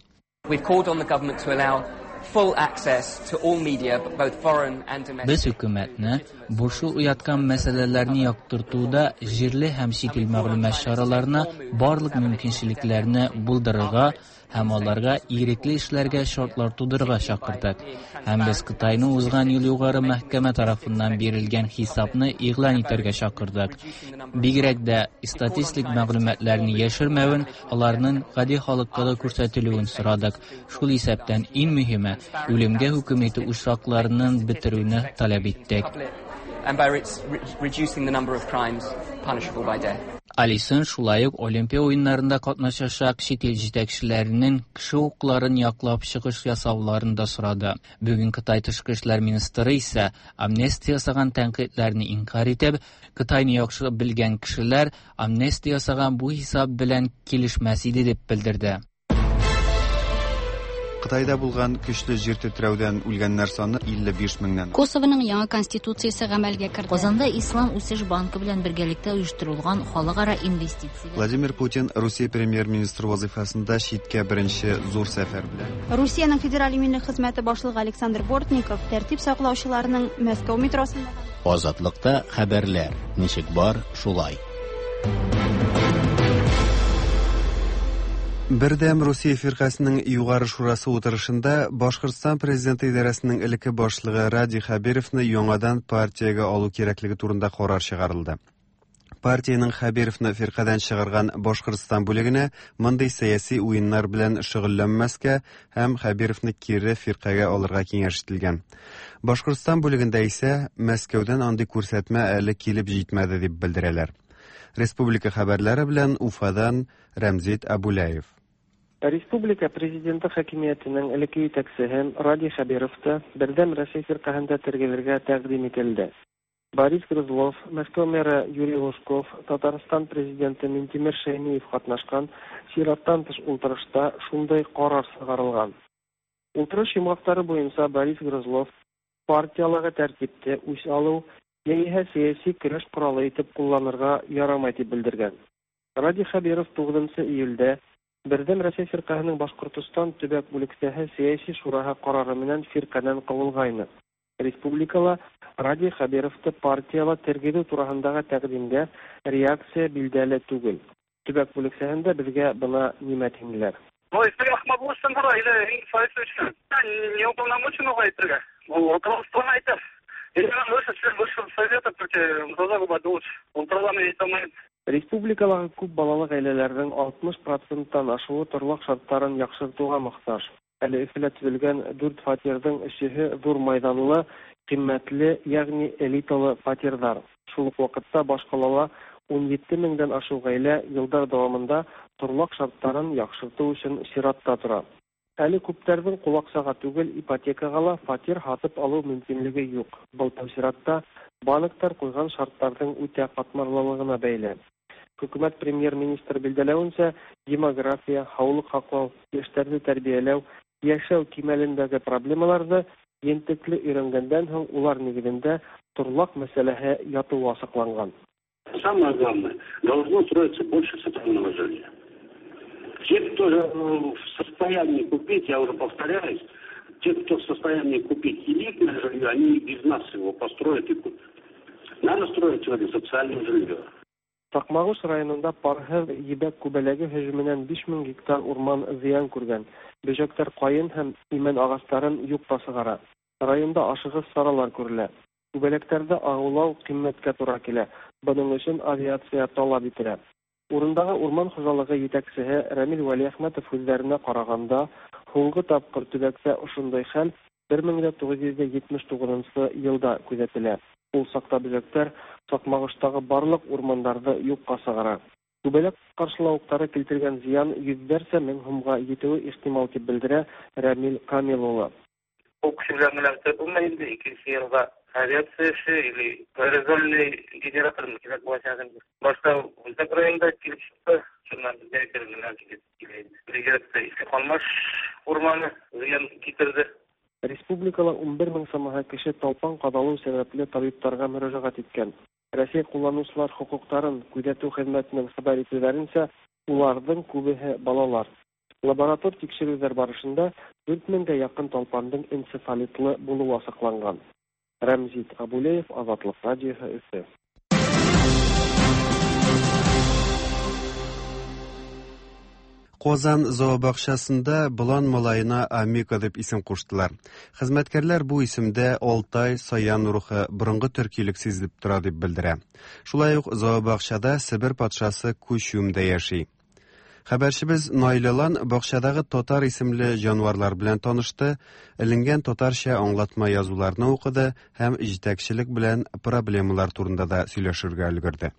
We've called on the government to allow full access to all media, both foreign and domestic. Без хөкүмәтне борчу уяткан мәсьәләләрне яктыртуда җирле һәм чит ил мәгълүмат чараларына барлык мөмкинчелекләрне булдырырга һәм аларга ирекле эшләргә шартлар тудырырга чакырдык. Һәм без Кытайны узган ел югары мәхкәмә тарафыннан бирелгән хисапны игълан итәргә чакырдык. Бигрәк дә статистик мәгълүматларны яшермәвен, аларның гади халыкка да күрсәтелүен сорадык. Шул исәптән иң мөһиме үлемгә хөкем итү очракларының бетерүне таләп иттек. And by reducing the number of crimes punishable by death. Алисон шулай ук Олимпия уеннарында катнашачак чит ил җитәкчеләренең кеше хокукларын яклап чыгыш ясауларын да сорады. Бүген Кытай тышкы эшләр министры исә амнистия ясаган тәнкыйтьләрне инкар итеп, Кытайны яхшы белгән кешеләр амнистия ясаган бу хисап белән килешмәс иде дип белдерде. Кытайда булган көчле җир тетрәүдән үлгәннәр саны илле биш меңнән. Косованың яңа конституциясе гамәлгә керде. Казанда Ислам үсеш банкы белән бергәлектә оештырылган халыкара инвестиция. Владимир Путин Русия премьер-министры вазифасында читкә беренче зур сәфәр белән. Русиянең федераль иминлек хезмәте башлыгы Александр Бортников тәртип саклаучыларның Мәскәү метросында Азатлыкта хәбәрләр ничек бар, шулай. Бердәм Русия фирҡәсенең юғары шурасы утырышында Башҡортостан президенты идарәсенең элекке башлыгы Радий Хәбировны яңадан партиягә алу кирәклеге турында ҡарар чыгарылды. Партиянең Хәбировны фирҡәдән чыгарган Башҡортостан бүлегенә мондый сәяси уйыннар белән шөгыльләнмәскә һәм Хәбировны кире фирҡәгә алырға киңәш ителгән. Башҡортостан бүлегендә исә Мәскәүҙән андый күрһәтмә әле килеп җитмәде дип белдерәләр. Республика хәбәрләре белән Уфадан Рәмзит Абулаев. Республика президенты хакимиятенең элекке җитәкчесе Радий Хәбировты Бердәм Рәсәй фирҡәһендә тергезергә тәкъдим ителде. Борис Грызлов, Мәскәү мэры Юрий Лужков, Татарстан президенты Минтимер Шәймиев катнашкан чираттан тыш ултырышта шундай карар чыгарылган. Ултырыш йомгаклары буенча Борис Грызлов партиялыгы тәртипте үч алу яисә сәяси көрәш коралы итеп кулланырга ярамай дип белдергән. Радий Хәбиров тугызынчы июльдә Бердәм Рәсәй фирҡәһенең Башҡортостан төбәк бүлексәһе сәяси шураһы ҡарары менән фирҡәнән ҡыуылғайны. Республикала Радий Хәбировты партияла тергеҙеү тураһындағы тәҡдимгә реакция билдәле түгел. Төбәк бүлексәһендә беҙгә бына нимә тинеләр. Республикалағы күп балалы ғаиләләрҙең алтмыш проценттан ашыуы торлаҡ шарттарын яҡшыртыуға мохтаж. Әле Өфөлә төҙөлгән дүрт фатирҙың өсөһө ҙур майҙанлы, ҡиммәтле, йәғни элиталы фатирҙар. Шул уҡ ваҡытта баш ҡалала ун ете меңдән ашыу ғаилә йылдар дауамында торлаҡ шарттарын яҡшыртыу өсөн сиратта тора. Әле күптәрҙең ҡул аҡсаға түгел, ипотекаға ла фатир һатып алыу мөмкинлеге юҡ. Был тәү сиратта банктар куйган шартларның үтә катмарлылыгына бәйле. Хөкүмәт премьер-министры билгеләвенчә, демография, һаулык һаклау, яшьләрне тәрбияләү, яшәү кимәлендәге проблемаларны ентекле өйрәнгәндән һуң улар нигезендә торлак мәсьәләһе ятуы асыкланган. Самое главное, должно строиться больше социального жилья. Те, кто в состоянии купить, я уже повторяюсь, те, кто в состоянии купить элитное жилье, они и без нас его построят и купят. Надо строить сегодня социальное жилье. Сакмагыш районында парһыҙ ебәк күбәләге һөжүменән биш мең гектар урман зыян күргән. Бөжәктәр ҡайын һәм имән ағастарын юҡҡа сығара. Районда ашығыс саралар күрелә. Күбәләктәрҙе ағыулау ҡиммәткә тура килә. Бының өсөн авиация талап ителә. Урындағы урман хужалығы етәксеһе Рәмил Вәлиәхмәтов һүҙҙәренә ҡарағанда, һуңғы тапҡыр төбәктә ошондай хәл бер мең дә туғыҙ йөҙ етмеш туғыҙынсы йылда күҙәтелә. Ул саҡта бөжәктәр Саҡмағыштағы барлыҡ урмандарҙы юҡҡа сығара. Күбәләк ҡаршылауыҡтары килтергән зыян йөҙҙәрсә мең һумға етеүе ихтимал, тип белдерә Рәмил Камил улы. Ул кеше белән генә бөтә булмай инде, икенсе йылға авиация эше или аэрозольный генератор кирәк булачак инде. Башта Үзәк районда килеп чыкты, шуннан безгә генә килеп килә инде. Бигрәк тә Иске Калмаш урманы зыян китерде. Республикала ун бер мең самаһы кеше талпан ҡаҙалыу сәбәпле табиптарға мөрәжәғәт иткән. Рәсәй ҡулланыусылар хоҡуҡтарын күҙәтеү хеҙмәтенең хәбәр итеүҙәренсә, уларҙың күбеһе балалар. Лаборатор тикшереүҙәр барышында дүрт меңгә яҡын талпандың энцефалитлы булыуы асыҡланған. Рәмзит Абулеев, Азатлыҡ радиоһы, Өфө. Казан зообакчасында болан малаена Амика дип исем куштылар. Хезмәткәрләр бу исемдә Алтай, Саян рухы, борынгы төркилек сизелеп тора дип белдерә. Шулай ук зообакчада Себер патшасы Күчүм дә яши. Хәбәрчебез Наилалан бакчадагы татар исемле җанварлар белән танышты, эленгән татарча аңлатма язуларны укыды һәм җитәкчелек белән проблемалар турында да сөйләшергә өлгерде.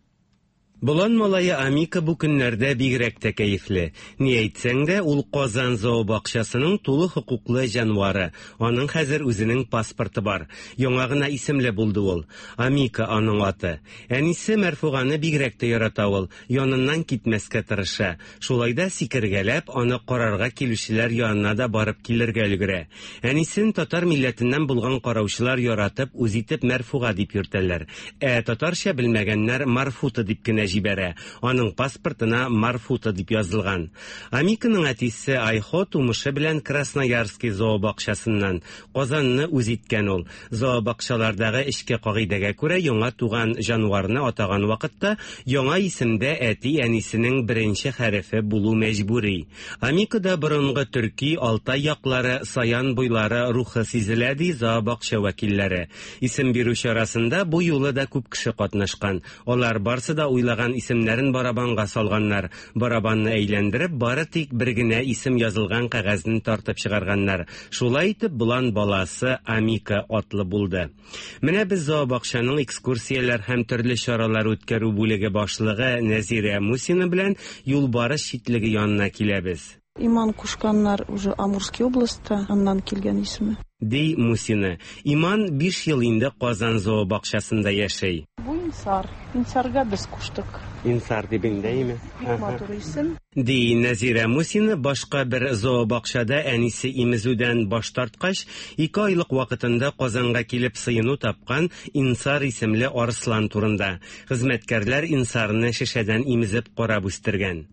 Болан малае Амика бу көннәрдә бигрәк тә кәефле. Ни әйтсәң дә, ул Казан зообакчасының тулы хокуклы җанвары. Аның хәзер үзенең паспорты бар. Яңа гына исемле булды ул. Амика аның аты. Әнисе Мәрфуганы бигрәк тә ярата ул. Яныннан китмәскә тырыша. Шулай да сикергәләп, аны карарга килүчеләр янына да барып килергә өлгерә. Әнисен татар милләтеннән булган караучылар яратып, үз итеп Мәрфуга дип йөртәләр. Ә татарча белмәгәннәр Марфута дип кенә җибәрә. Аның паспортына Марфута дип язылган. Амиканың әтисе Айхо тумышы белән Красноярский зообакчасыннан. Казанны үз иткән ул. Зообакчалардагы эчке кагыйдәгә күрә яңа туган җанварны атаган вакытта яңа исемдә әти-әнисенең беренче хәрефе булу мәҗбүри. Амикада борынгы төрки, Алтай яклары, Саян буйлары рухы сизелә, ди зообакча вәкилләре. Исем бирү чарасында бу юлы да күп кеше катнашкан. Алар барсы да уйлаган исемнәрен барабанга салганнар. Барабанны әйләндереп, бары тик бер генә исем язылган кәгазьне тартып чыгарганнар. Шулай итеп, болан баласы Амика атлы булды. Менә без зообакчаның экскурсияләр һәм төрле чаралар үткәрү бүлеге башлыгы Нәзирә Мусина белән юлбарыс читлеге янына киләбез. Иман кушканнар уже Амурский областьта, аннан килгән исеме. Ди Мусина. Иман биш ел инде Казан зообакчасында яшәй. Бу Инсар. Инсарга без куштык. Инсар дип инде, Бик матур исем. Ди Нәзирә Мусина башка бер зообакчада әнисе имезүдән баш тарткач, ике айлык вакытында Казанга килеп сыену тапкан Инсар исемле арыслан турында. Хезмәткәрләр Инсарны шешәдән имезеп карап үстергән.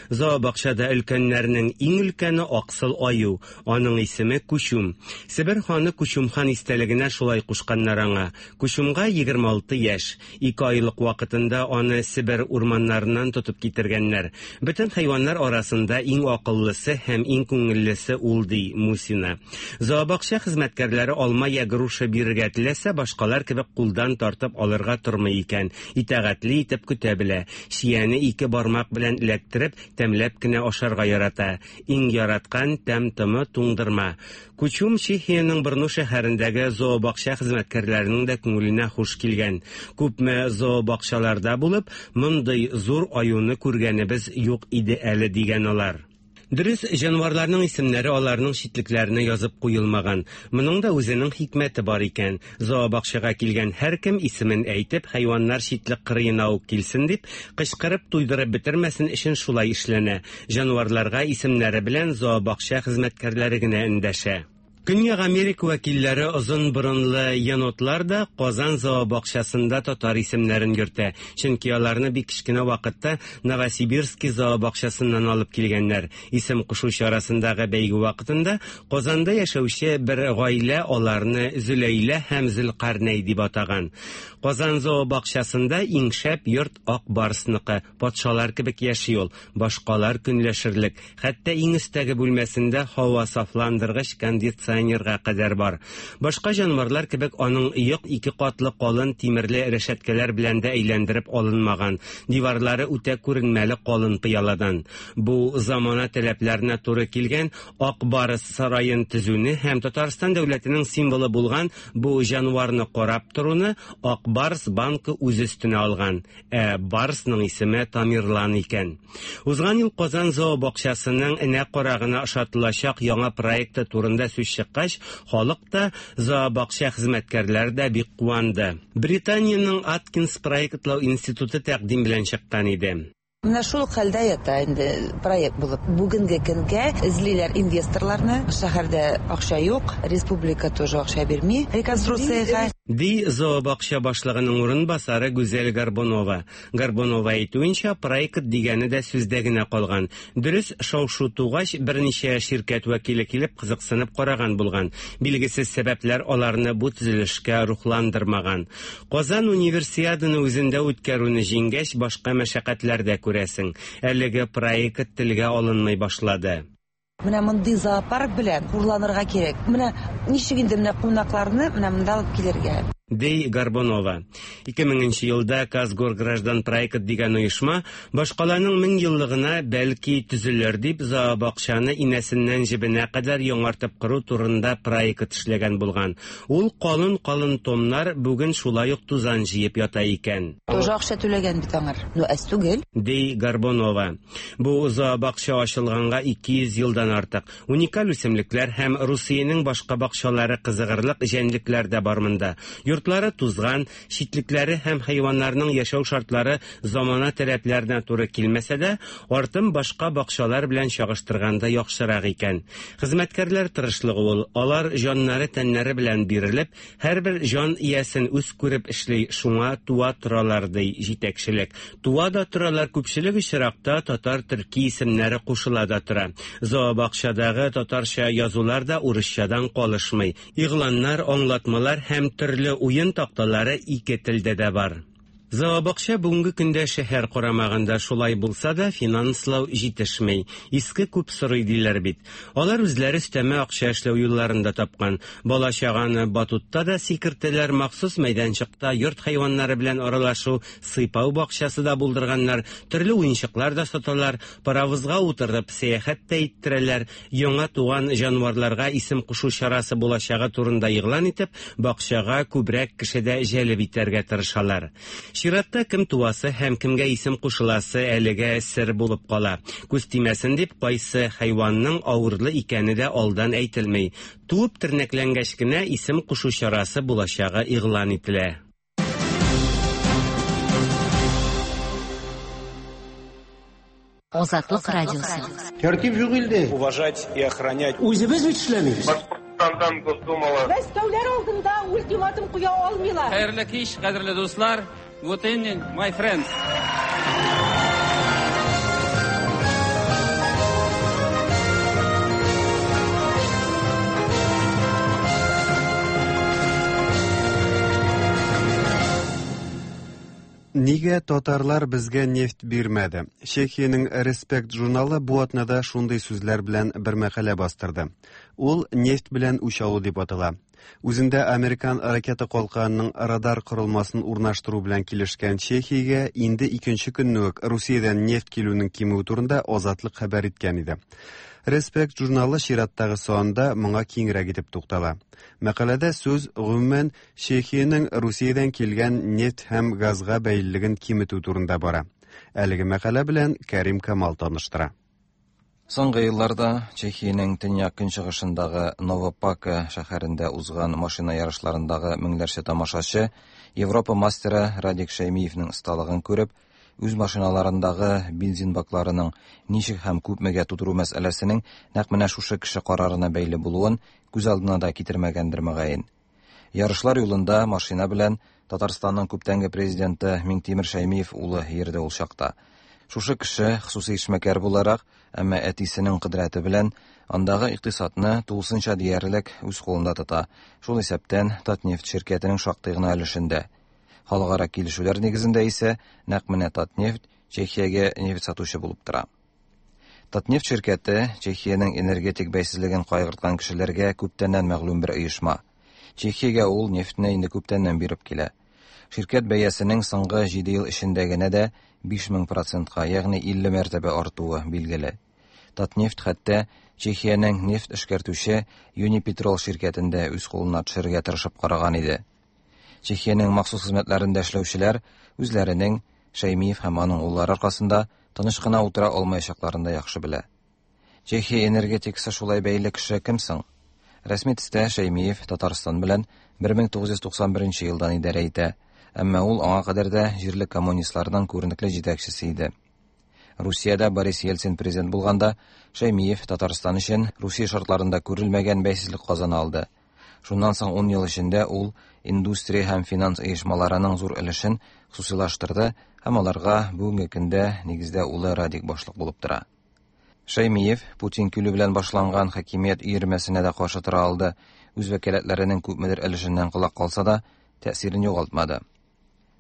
Зообакчада өлкәннәрнең иң өлкәне аксыл аю, аның исеме Күчүм. Себер ханы Күчүм хан истәлегенә шулай кушканнар аңа. Күчүмгә егерме алты яшь. Ике айлык вакытында аны Себер урманнарыннан тотып китергәннәр. Бөтен хайваннар арасында иң акыллысы һәм иң күңеллесе ул, ди Мусина. Зообакча хезмәткәрләре алма я груша бирергә теләсә, башкалар кебек кулдан тартып алырга тормый икән. Итагатьле итеп көтә белә. Чияне ике бармак белән эләктереп, тәмләп кенә ашарга ярата. Иң яраткан тәм-томы туңдырма. Күчүм Чехиянең Брно шәһәрендәге зообакча хезмәткәрләренең дә күңеленә хуш килгән. Күпме зообакчаларда булып, мондый зур аюны күргәнебез юк иде әле, дигән алар. Дөрес, җанварларның исемнәре аларның читлекләренә язып куелмаган. Моның да үзенең хикмәте бар икән. Зообакчага килгән һәркем исемен әйтеп, хайваннар читлек кырыена ук килсен дип, кычкырып туйдырып бетермәсен өчен шулай эшләнә. Җанварларга исемнәре белән зообакча хезмәткәрләре генә эндәшә. Көньяк Америка вәкилләре озын борынлы енотлар да Казан зообакчасында татар исемнәрен йөртә. Чөнки аларны бик кечкенә вакытта Новосибирский зообакчасыннан алып килгәннәр. Исем кушу чарасындагы бәйге вакытында Казанда яшәүче бер гаилә аларны Зөләйлә һәм Зөлкарнәй дип атаган. Казан зообакчасында иң шәп йорт Ак Барсныкы, патшалар кебек яши ул, башкалар көнләшерлек. Хәтта иң өстәге бүлмәсендә һава сафландыргыч кондиционер кадәр бар. Башка җанварлар кебек аның йорт ике катлы калын тимерле рәшәткәләр белән дә әйләндереп алынмаган. Диварлары үтә күренмәле калын пыяладан. Бу замана таләпләренә туры килгән Ак Барс сараен төзүне һәм Татарстан дәүләтенең символы булган бу җанварны карап торуны Ак Барс банкы үз өстенә алган. Ә Барсның исеме Тамерлан икән. Узган ел Казан зообакчасының энә карагына ошатылачак яңа проекты турында сүз чыккач, халык та, зообакча хезмәткәрләре дә бик куанды. Британиянең Аткинс проектлау институты тәкъдим белән чыккан иде. Менә шул хәлдә ята инде проект булып. Бүгенге көнгә эзлиләр инвесторларны. Шәһәрдә акча юк, республика тоже акча бирми реконструкциягә. Ди зообакча башлыгының урынбасары Гүзәл Горбунова. Горбунова әйтүенчә, проект дигәне дә сүздә генә калган. Дөрес, шау-шу тугач, берничә ширкәт вәкиле килеп кызыксынып караган булган. Билгесез сәбәпләр аларны бу төзелешкә рухландырмаган. Казан универсиаданы үзендә үткәрүне җиңгәч, башка мәшәкатьләр дә күрәсең. Әлеге проект телгә алынмый башлады. Менә мондый зоопарк белән хурланырга кирәк. Менә ничек инде менә кунакларны менә монда алып килергә. Ди Горбунова. ике меңенче елда Казгорграждан проект дигән оешма башкаланың мең еллыгына бәлки төзелер дип зообакчаны инәсеннән җебенә кадәр яңартып кору турында проект эшләгән булган. Ул калын-калын томнар бүген шулай ук тузан җыеп ята икән. Тоже акча түләгән бит аңар. Ну, әз түгел. Ди Горбунова. Бу зообакча ачылганга ике йөз елдан артык. Уникаль үсемлекләр һәм Русиянең башка бакчалары кызыгырлык җәнлекләр дә бар монда. Йортлары тузган, читлекләре һәм хайваннарның яшәү шартлары замана таләпләренә туры килмәсә дә, артым башка бакчалар белән чагыштырганда яхшырак икән. Хезмәткәрләр тырышлыгы ул, алар җаннары тәннәре белән бирелеп, һәрбер җан иясен үз күреп эшли, шуңа туа торалар, ди җитәкчелек. Туа да торалар, күпчелек очракта татар төрки исемнәре кушыла да тора. Зообакчадагы татарча язулар да урысчадан калышмый. Игъланнар, аңлатмалар һәм төрле уен такталары ике телдә дә бар. Зообакча бүгенге көндә шәһәр карамагында, шулай булса да финанслау җитешми. Иске күп сорый диләр бит. Алар үзләре өстәмә акча эшләү юлларын да тапкан. Бала чаганы батутта да сикертәләр, махсус мәйданчыкта йорт хайваннары белән аралашу, сыйпау бакчасы да булдырганнар, төрле уенчыклар да саталар, паровозга утырып сәяхәт тә иттерәләр, яңа туган җанварларга исем кушу чарасы булачагы турында игълан итеп, бакчага күбрәк кеше дә җәлеп итәргә тырышалар. Чиратта кем туасы һәм кемгә исем кушыласы әлегә сер булып кала. Күз тимәсен дип, кайсы хайванның авырлы икәне дә алдан әйтелми. Туып тернәкләнгәч кенә исем кушу чарасы булачагы игълан ителә. Азатлык радиосы. Тәртип юк илдә. Уважать и охранять. Үзебез бит эшләмибез. Башкортстандан Госдумала. Мәскәүләр алдында ультиматум куя алмыйлар. Хәерле кич, кадерле дуслар. Good evening, my friends. Нигә татарлар безгә нефть бирмәде? Чехиянең Респект журналы бу атнада шундый сүзләр белән бер мәкалә бастырды. Ул нефть белән үч алу дип атала. Үзендә американ ракета калканының радар корылмасын урнаштыру белән килешкән Чехиягә инде икенче көнне үк Русиядән нефть килүнең кимүе турында Азатлык хәбәр иткән иде. Респект журналы чираттагы санында моңа киңрәк итеп туктала. Мәкаләдә сүз гомумән Чехиянең Русиядән килгән нефть һәм газга бәйлелеген киметү турында бара. Әлеге мәкалә белән Кәрим Камал таныштыра. Соңгы елларда Чехиянең төньяк-көнчыгышындагы Новопака шәһәрендә узган машина ярышларындагы меңләрчә тамашачы Европа мастеры Радик Шәймиевнең осталыгын күреп, үз машиналарындагы бензин бакларының ничек һәм күпмегә тутыру мәсьәләсенең нәкъ менә шушы кеше карарына бәйле булуын күз алдына да китермәгәндер мөгаен. Ярышлар юлында машина белән Татарстанның күптәнге президенты Миңтимер Шәймиев улы йөрде ул чакта. Шушы кеше хосусый эшмәкәр буларак, әмма әтисенең кодрәте белән андагы икътисадны тулысынча диярлек үз кулында тота. Шул исәптән Татнефть ширкәтенең шактый гына өлешендә. Халыкара килешүләр нигезендә исә нәкъ менә Татнефть Чехиягә нефть сатучы булып тора. Татнефть ширкәте Чехиянең энергетик бәйсезлеген кайгырткан кешеләргә күптәннән мәгълүм бер оешма. Чехиягә ул нефтьне инде күптәннән биреп килә. Ширкәт бәясенең соңгы җиде ел эчендә генә дә биш мең процентка, ягъни илле мәртәбә артуы билгеле. Татнефть хәтта Чехиянең нефть эшкәртүче Юнипетрол ширкәтен дә үз кулына төшерергә тырышып караган иде. Чехиянең махсус хезмәтләрендә эшләүчеләр үзләренең Шәймиев һәм аның уллары аркасында тыныч кына утыра алмаячакларын да яхшы белә. Чехия энергетикасы шулай бәйле кеше кем соң? Рәсми төстә Шәймиев Татарстан белән бер мең тугыз йөз туксан беренче елдан идарә итә, әмма ул аңа кадәр дә җирле коммунистларның күренекле җитәкчесе иде. Русиядә Борис Ельцин президент булганда Шәймиев Татарстан өчен Русия шартларында күрелмәгән бәйсезлек казана алды. Шуннан соң ун ел эчендә ул индустрия һәм финанс оешмаларының зур өлешен хосусыйлаштырды һәм аларга бүгенге көндә нигездә улы Радик башлык булып тора. Шәймиев Путин килү белән башланган хакимият өермәсенә дә каршы тора алды. Үз вәкаләтләренең күпмедер өлешеннән колак калса да, тәэсирен югалтмады.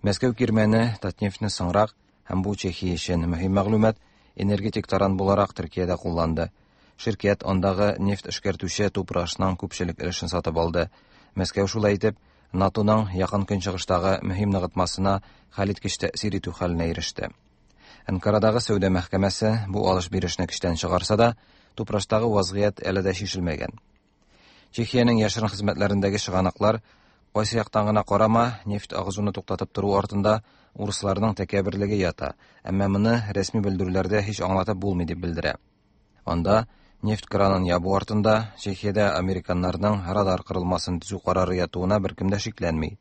Мәскәү кирмәне Татнефтьне соңрак һәм бу Чехия өчен мөһим мәгълүмат энергетик таран буларак Төркиядә кулланды. Ширкәт андагы нефть эшкәртүче Тупрашның күпчелек өлешен сатып алды. Мәскәү шулай итеп НАТОның якын көнчыгыштагы мөһим ныгытмасына хәлиткеч тәэсир итү хәленә иреште. Анкарадагы сәүдә мәхкәмәсе бу алыш-бирешне көчтән чыгарса да, Тупраштагы вазгыять әле дә чишелмәгән. Чехиянең яшерен хезмәтләрендәге чыганаклар кайсы яктан гына карама, нефть агызуны туктатып тору артында урысларның тәкәбберлеге ята, әмма моны рәсми белдерүләрдә һич аңлатып булмый дип белдерә. Анда нефть кранын ябу артында Чехиядә американнарның радар кырылмасын төзү карары ятуына беркем дә шикләнми.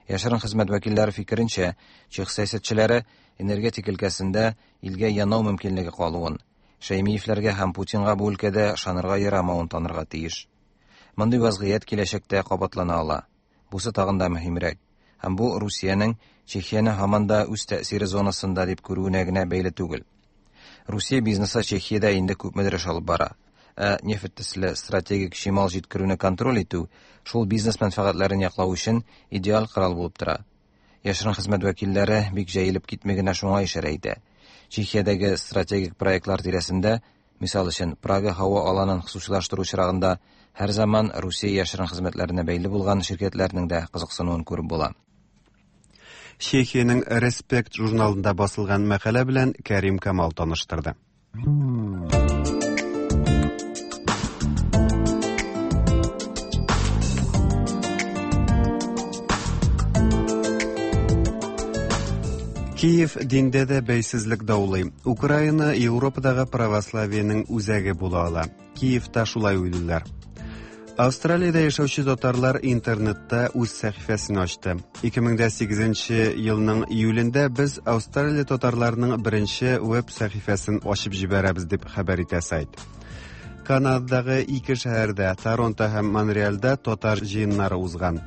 Яшерен хезмәт вәкилләре фикеренчә, чех сәясәтчеләре энергетик өлкәсендә илгә янау мөмкинлеге калуын, Шәймиевләргә һәм Путинга бу өлкәдә ышанырга ярамавын танырга тиеш. Мондый вазгыять киләчәктә кабатлана ала. Бусы тагын да мөһимрәк. Һәм бу Русиянең Чехияне һаман да үз тәэсире зонасында дип күрүенә генә бәйле түгел. Русия бизнесы Чехиядә инде күпмедер эш алып бара. Ә нефть төсле стратегик чимал җиткерүне контроль итү шул бизнес мәнфәгатьләрен яклау өчен идеаль корал булып тора. Яшерен хезмәт вәкилләре бик җәелеп китми генә шуңа ишарә итә. Чехиядәге стратегик проектлар тирәсендә, мисал өчен, Прага һава аланын хосусыйлаштыру чирагында һәр заман Русия яшерен хезмәтләренә бәйле булган ширкәтләрнең дә кызыксынуын күреп була. Чехиянең Респект журналында басылган мәкалә белән Кәрим Камал таныштырды. Киев диндә дә бәйсезлек даулый. Украина Европадагы православиенең үзәге була ала. Киевта шулай уйлыйлар. Австралиядә яшәүче татарлар интернетта үз сәхифәсен ачты. ике мең сигезенче елның июлендә без Австралия татарларының беренче веб сәхифәсен ачып җибәрәбез дип хәбәр итә сайт. Канададагы ике шәһәрдә, Торонто һәм Монреальдә татар җыеннары узган.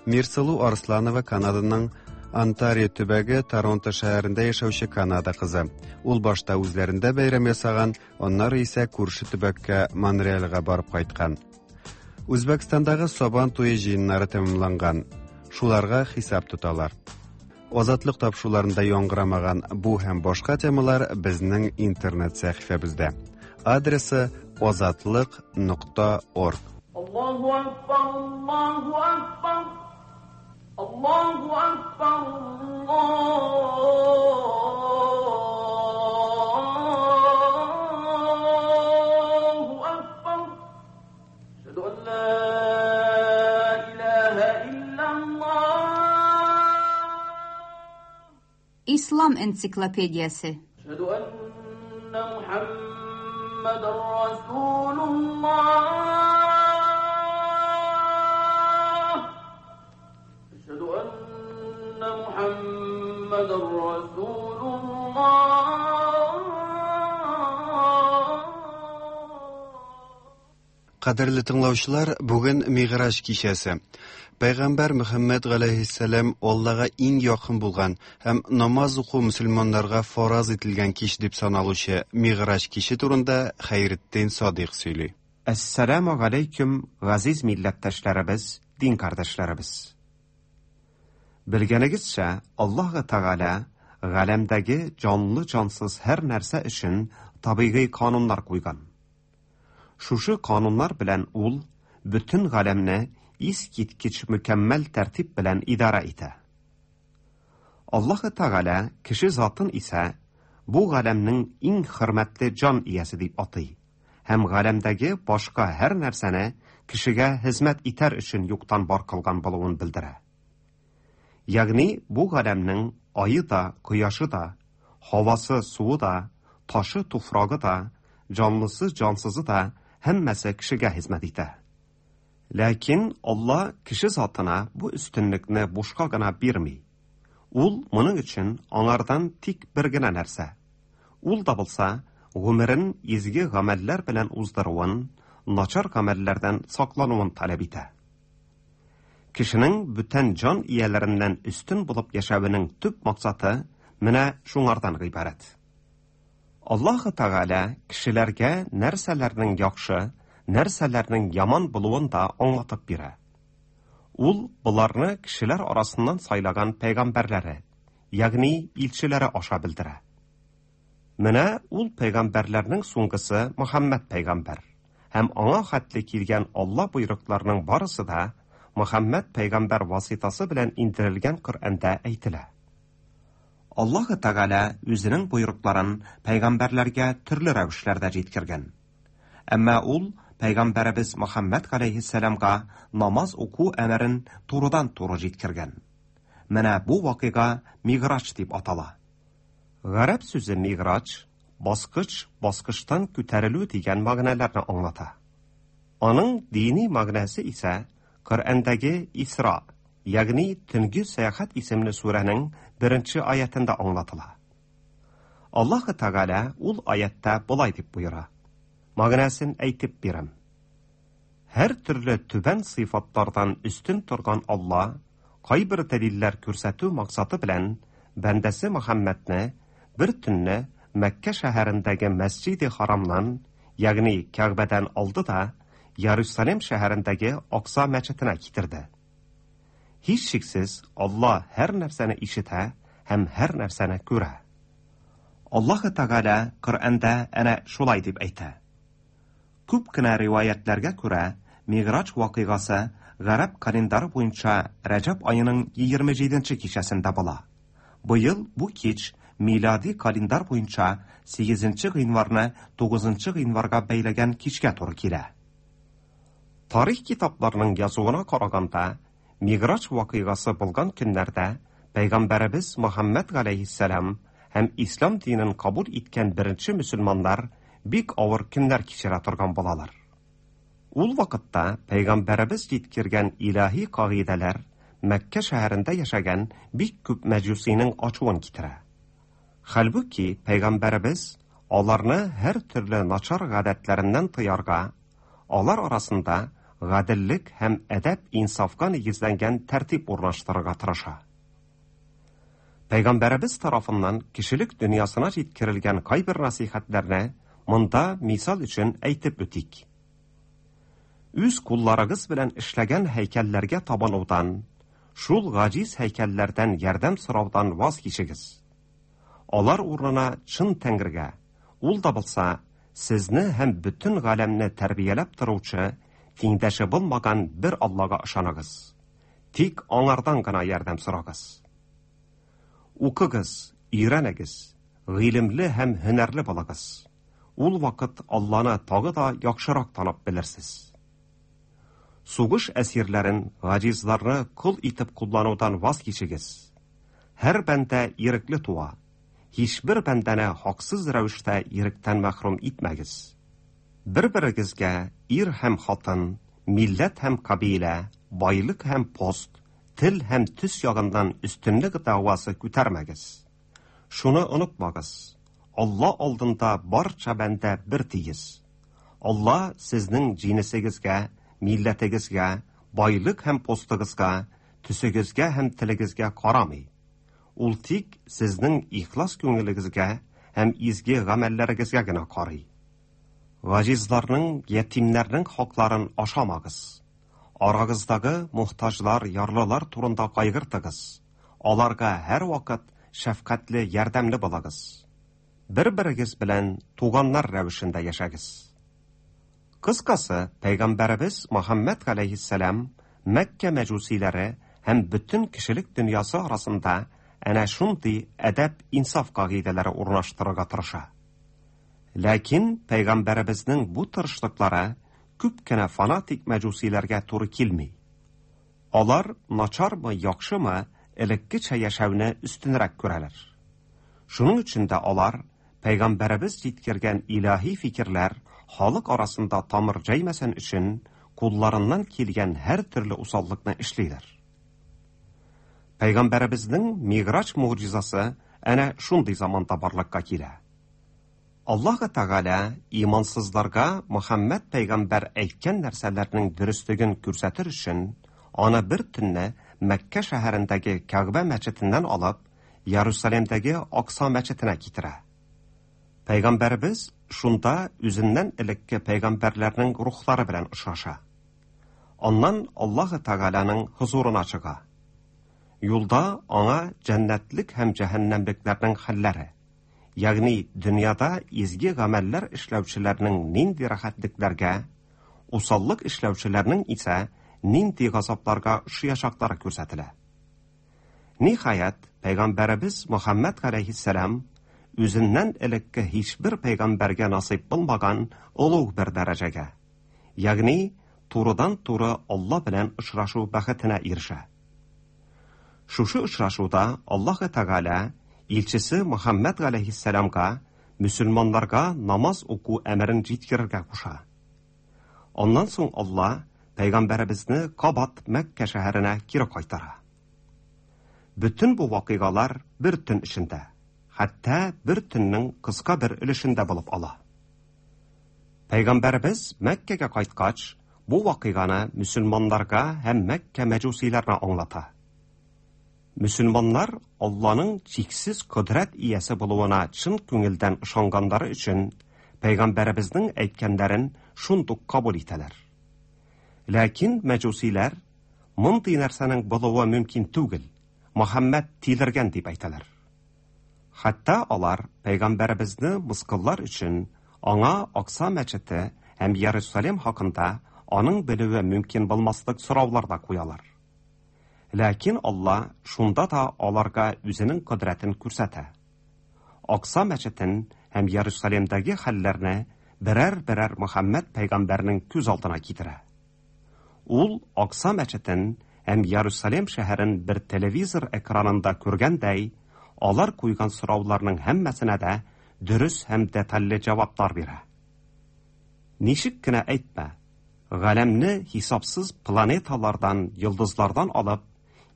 Мирсылу Арсланова Канаданың Онтарио төбәге Торонто шәһәрендә яшәүче Канада кызы. Ул башта үзләрендә бәйрәм ясаган, аннары исә күрше төбәккә Монреальгә барып кайткан. Үзбәкстандагы Сабан туе җыеннары тәмамланган. Шуларга хисап тоталар. Азатлык тапшыруларында яңгырамаган бу һәм башка темалар безнең интернет сәхифәбездә. Адресы азатлык нокта орг. Аллаһу акбар, Аллаһу акбар. Аллаһу акбар, Аллаһу акбар. Әшһәду ан ла илаһа иллаллаһ. Ислам энциклопедиясе. Әшһәду анна Мухаммадан محمد رسول الله أشهد أن محمد رسول الله. Кадерле тыңлаучылар, бүген Мигъраҗ кичәсе. Пәйгамбәр Мөхәммәд галәйһиссәлам Аллага иң якын булган һәм намаз уку мөселманнарга фараз ителгән кич дип саналучы Мигъраҗ киче турында Хәйретдин Садыйк сөйли. Әссәламу галәйкүм, газиз милләттәшләребез, дин кардәшләребез. Белгәнегезчә, Аллаһ Тәгалә галәмдәге җанлы-җансыз һәр нәрсә өчен табигый кануннар куйган. Шушы кануннар белән ул бөтен галәмне искиткеч мөкәммәл тәртип белән идарә итә. Аллаһ Тәгалә кеше затын исә бу галәмнең иң хөрмәтле җан иясе дип атый һәм галәмдәге башка һәр нәрсәне кешегә хезмәт итәр өчен юктан бар кылган булуын белдерә. Ягъни бу галәмнең айы да, кояшы да, һавасы, суы да, ташы, туфрагы да, җанлысы, җансызы да һәммәсе кешегә хезмәт итә. Ләкин Алла кеше затына бу өстенлекне бушка гына бирми. Ул моның өчен аңардан тик бер генә нәрсә. Ул да булса, гомерен изге гамәлләр белән уздыруын, начар гамәлләрдән саклануын таләп итә. Кешенең бүтән җан ияләреннән өстен булып яшәвенең төп максаты менә шуңардан гыйбарәт. Аллаһ Тәгалә кешеләргә нәрсәләрнең яхшы, нәрсәләрнең яман булуын да аңлатып бирә. Ул боларны кешеләр арасыннан сайлаган пәйгамбәрләре, ягъни илчеләре аша белдерә. Менә ул пәйгамбәрләрнең соңгысы Мөхәммәд пәйгамбәр һәм аңа хәтле килгән Алла боерыкларының барысы да Мөхәммәд пәйгамбәр васитасы белән индерелгән Коръәндә әйтелә. Аллаһ Тәгалә үзенең боерыкларын пәйгамбәрләргә төрле рәвешләрдә җиткергән. Әмма ул пәйгамбәребез Мөхәммәд галәйһиссәламга намаз уку әмерен турыдан-туры җиткергән. Менә бу вакыйга Мигъраҗ дип атала. Гарәп сүзе мигъраҗ, баскыч, баскычтан күтәрелү дигән мәгънәләрне аңлата. Аның дини мәгънәсе исә Коръәндәге Исра, ягъни Төнге сәяхәт исемле сүрәнең беренче аятында аңлатыла. Аллаһ Тәгалә ул аятта болай дип боера. Мәгънәсен әйтеп бирәм. Һәр төрле түбән сыйфатлардан өстен торган Алла кайбер дәлилләр күрсәтү максаты белән бәндәсе Мөхәммәдне бер төнне Мәккә шәһәрендәге Мәсҗиде Харамнан, ягъни Кәгъбәдән алды да Иерусалим шәһәрендәге Акса мәчетенә китерде. Һичшиксез Алла һәр нәрсәне ишетә һәм һәр нәрсәне күрә. Аллаһ Тәгалә Коръәндә әнә шулай дип әйтә. Күп кенә риваятләргә күрә, Мигъраҗ вакыйгасы гарәп календары буенча Рәҗәб аеның егерме җиденче кичәсендә була. Быел бу кич милади календар буенча сигезенче гыйнварны тугызынчы гыйнварга бәйләгән кичкә туры килә. Тарих китапларының язуына караганда, Мигъраҗ вакыйгасы булган көннәрдә Пәйгамбәребез Мөхәммәд галәйһиссәлам һәм ислам динен кабул иткән беренче мөселманнар бик авыр көннәр кичерә торган булалар. Ул вакытта Пәйгамбәребез җиткергән илаһи кагыйдәләр Мәккә шәһәрендә яшәгән бик күп мәҗүсинең ачуын китерә. Хәлбүки Пәйгамбәребез аларны һәр төрле начар гадәтләреннән тыярга, алар арасында гаделлек һәм әдәп-инсафка нигезләнгән тәртип урнаштырырга тырыша. Пәйгамбәребез тарафыннан кешелек дөньясына җиткерелгән кайбер насыйхәтләрне монда мисал өчен әйтеп үтик. Үз кулларыгыз белән эшләгән һәйкәлләргә табынудан, шул гаҗиз һәйкәлләрдән ярдәм сораудан ваз кичегез. Алар урынына чын Тәңрегә, ул да булса, сезне һәм бөтен галәмне тәрбияләп торучы, тиңдәше булмаган бер Аллага ышаныгыз. Тик аңардан гына ярдәм сорагыз. Укыгыз, өйрәнегез, гыйлемле һәм һөнәрле булыгыз. Ул вакыт Алланы тагы да яхшырак танып белерсез. Сугыш әсирләрен, гаҗизларны кол итеп кулланудан ваз кичегез. Һәр бәндә ирекле туа. Һичбер бәндәне хаксыз рәвештә иректән мәхрүм итмәгез. Бер-берегезгә ир һәм хатын, милләт һәм кабилә, байлык һәм пост, тел һәм төс ягыннан өстенлек дәгъвасы күтәрмәгез. Шуны онытмагыз: Алла алдында барча бәндә бер тигез. Алла сезнең җинесегезгә, милләтегезгә, байлык һәм постыгызга, төсегезгә һәм телегезгә карамый. Ул тик сезнең ихлас күңелегезгә һәм изге гамәлләрегезгә генә карый. Гаҗизларның, ятимнәрнең хакларын ашамагыз. Арагыздагы мохтаҗлар, ярлылар турында кайгыртыгыз. Аларга һәрвакыт шәфкатьле, ярдәмле булыгыз. Бер-берегез белән туганнар рәвешендә яшәгез. Кыскасы, Пәйгамбәребез Мөхәммәд галәйһиссәлам Мәккә мәҗүсиләре һәм бөтен кешелек дөньясы арасында әнә шундый әдәп-инсаф кагыйдәләре урнаштырырга тырыша. Ләкин Пәйгамбәребезнең бу тырышлыклары күп кенә фанатик мәҗүсиләргә туры килми. Алар начармы, яхшымы, элеккечә яшәүне өстенрәк күрәләр. Шуның өчен дә алар Пәйгамбәребез җиткергән илаһи фикерләр халык арасында тамыр җәймәсен өчен кулларыннан килгән һәр төрле усаллыкны эшлиләр. Пәйгамбәребезнең Миграҗ могҗизасы әнә шундый заманда барлыкка килә. Аллаһ Тәгалә имансызларга Мөхәммәд пәйгамбәр әйткән нәрсәләрнең дөреслеген күрсәтер өчен аны бер төнне Мәккә шәһәрендәге Кәгъбә мәчетеннән алып Иерусалимдәге Акса мәчетенә китерә. Пәйгамбәребез шунда үзеннән элекке пәйгамбәрләрнең рухлары белән очраша. Аннан Аллаһ Тәгаләнең хозурына чыга. Юлда аңа җәннәтлек һәм җәһәннәмлекләрнең хәлләре, ягъни дөньяда изге гамәлләр эшләүчеләрнең нинди рәхәтлекләргә, усаллык эшләүчеләрнең исә нинди газапларга очраячаклары күрсәтелә. Ниһаять, Пәйгамбәребез Мөхәммәд галәйһиссәлам үзеннән элекке һичбер пәйгамбәргә насыйп булмаган олуг бер дәрәҗәгә, ягъни турыдан-туры Алла белән очрашу бәхетенә ирешә. Шушы очрашуда Аллаһ Тәгалә илчесе Мөхәммәд галәйһиссәламга мөселманнарга намаз уку әмерен җиткерергә куша. Аннан соң Алла пәйгамбәребезне кабат Мәккә шәһәренә кире кайтара. Бөтен бу вакыйгалар бер төн эчендә, хәтта бер төннең кыска бер өлешендә булып ала. Пәйгамбәребез Мәккәгә кайткач, бу вакыйганы мөселманнарга һәм Мәккә мәҗүсиләренә аңлата. Мөселманнар Алланың чиксез кодрәт иясе булуына чын күңелдән ышанганнары өчен пәйгамбәребезнең әйткәннәрен шундук кабул итәләр. Ләкин мәҗүсиләр мондый нәрсәнең булуы мөмкин түгел, Мөхәммәд тилергән дип әйтәләр. Хәтта алар пәйгамбәребезне мыскыллар өчен аңа Акса мәчете һәм Иерусалим хакында аның белүе мөмкин булмаслык сораулар да куялар. Ләкин Алла шунда да аларга үзенең кодрәтен күрсәтә. Акса мәчетен һәм Иерусалимдәге хәлләрне берәр-берәр Мөхәммәд пәйгамбәрнең күз алдына китерә. Ул Акса мәчетен һәм Иерусалим шәһәрен бер телевизор экранында күргәндәй, алар куйган сорауларның һәммәсенә дә дөрес һәм детальле җаваплар бирә. Ничек кенә әйтмә, галәмне хисапсыз планеталардан, йолдызлардан алып,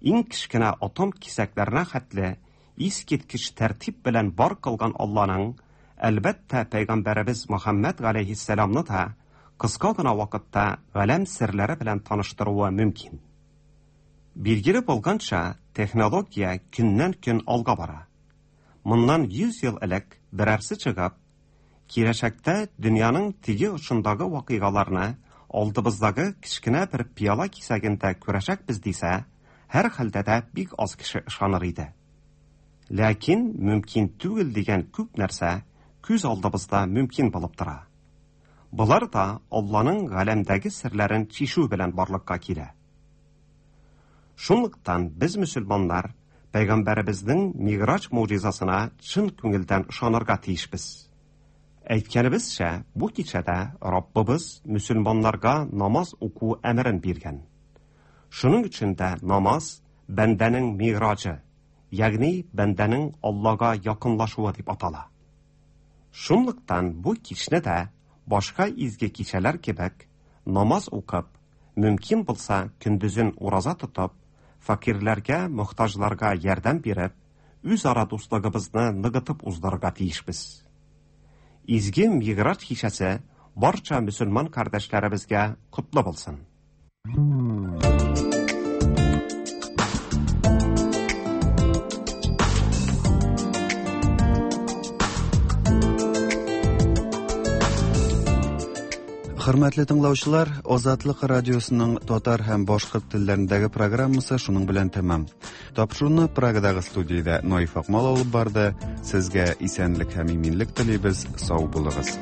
иң кечкенә атом кисәкләренә хәтле искиткеч тәртип белән бар кылган Алланың, әлбәттә, пәйгамбәребез Мөхәммәд галәйһиссәламны да кыска гына вакытта галәм серләре белән таныштыруы мөмкин. Билгеле булганча, технология көннән-көн алга бара. Моннан йөз ел элек берәрсе чыгып, киләчәктә дөньяның теге очындагы вакыйгаларны алдыбыздагы кечкенә бер пыяла кисәгендә күрәчәкбез дисә, һәр хәлдә дә бик аз кеше ышаныр иде. Ләкин мөмкин түгел дигән күп нәрсә күз алдыбызда мөмкин булып тора. Болар да Алланың галәмдәге серләрен чишү белән барлыкка килә. Шунлыктан без мөселманнар пәйгамбәребезнең Миграҗ могҗизасына чын күңелдән ышанырга тиешбез. Әйткәнебезчә, бу кичәдә Раббыбыз мөселманнарга намаз уку әмерен биргән. Шуның өчен дә намаз бәндәнең миграҗы, ягъни бәндәнең Аллага якынлашуы дип атала. Шунлыктан бу кичне дә башка изге кичәләр кебек намаз укып, мөмкин булса көндезен ураза тотып, фәкыйрьләргә, мохтаҗларга ярдәм биреп, үзара дуслыгыбызны ныгытып уздырырга тиешбез. Изге Мигъраҗ кичәсе барча мөселман кардәшләребезгә котлы булсын. Хөрмәтле тыңлаучылар, Азатлык радиосының татар һәм башкорт телләрендәге программасы шуның белән тәмам. Тапшыруны Прагадагы студиядә Наиф Акмал алып барды. Сезгә исәнлек һәм иминлек телибез. Сау булыгыз.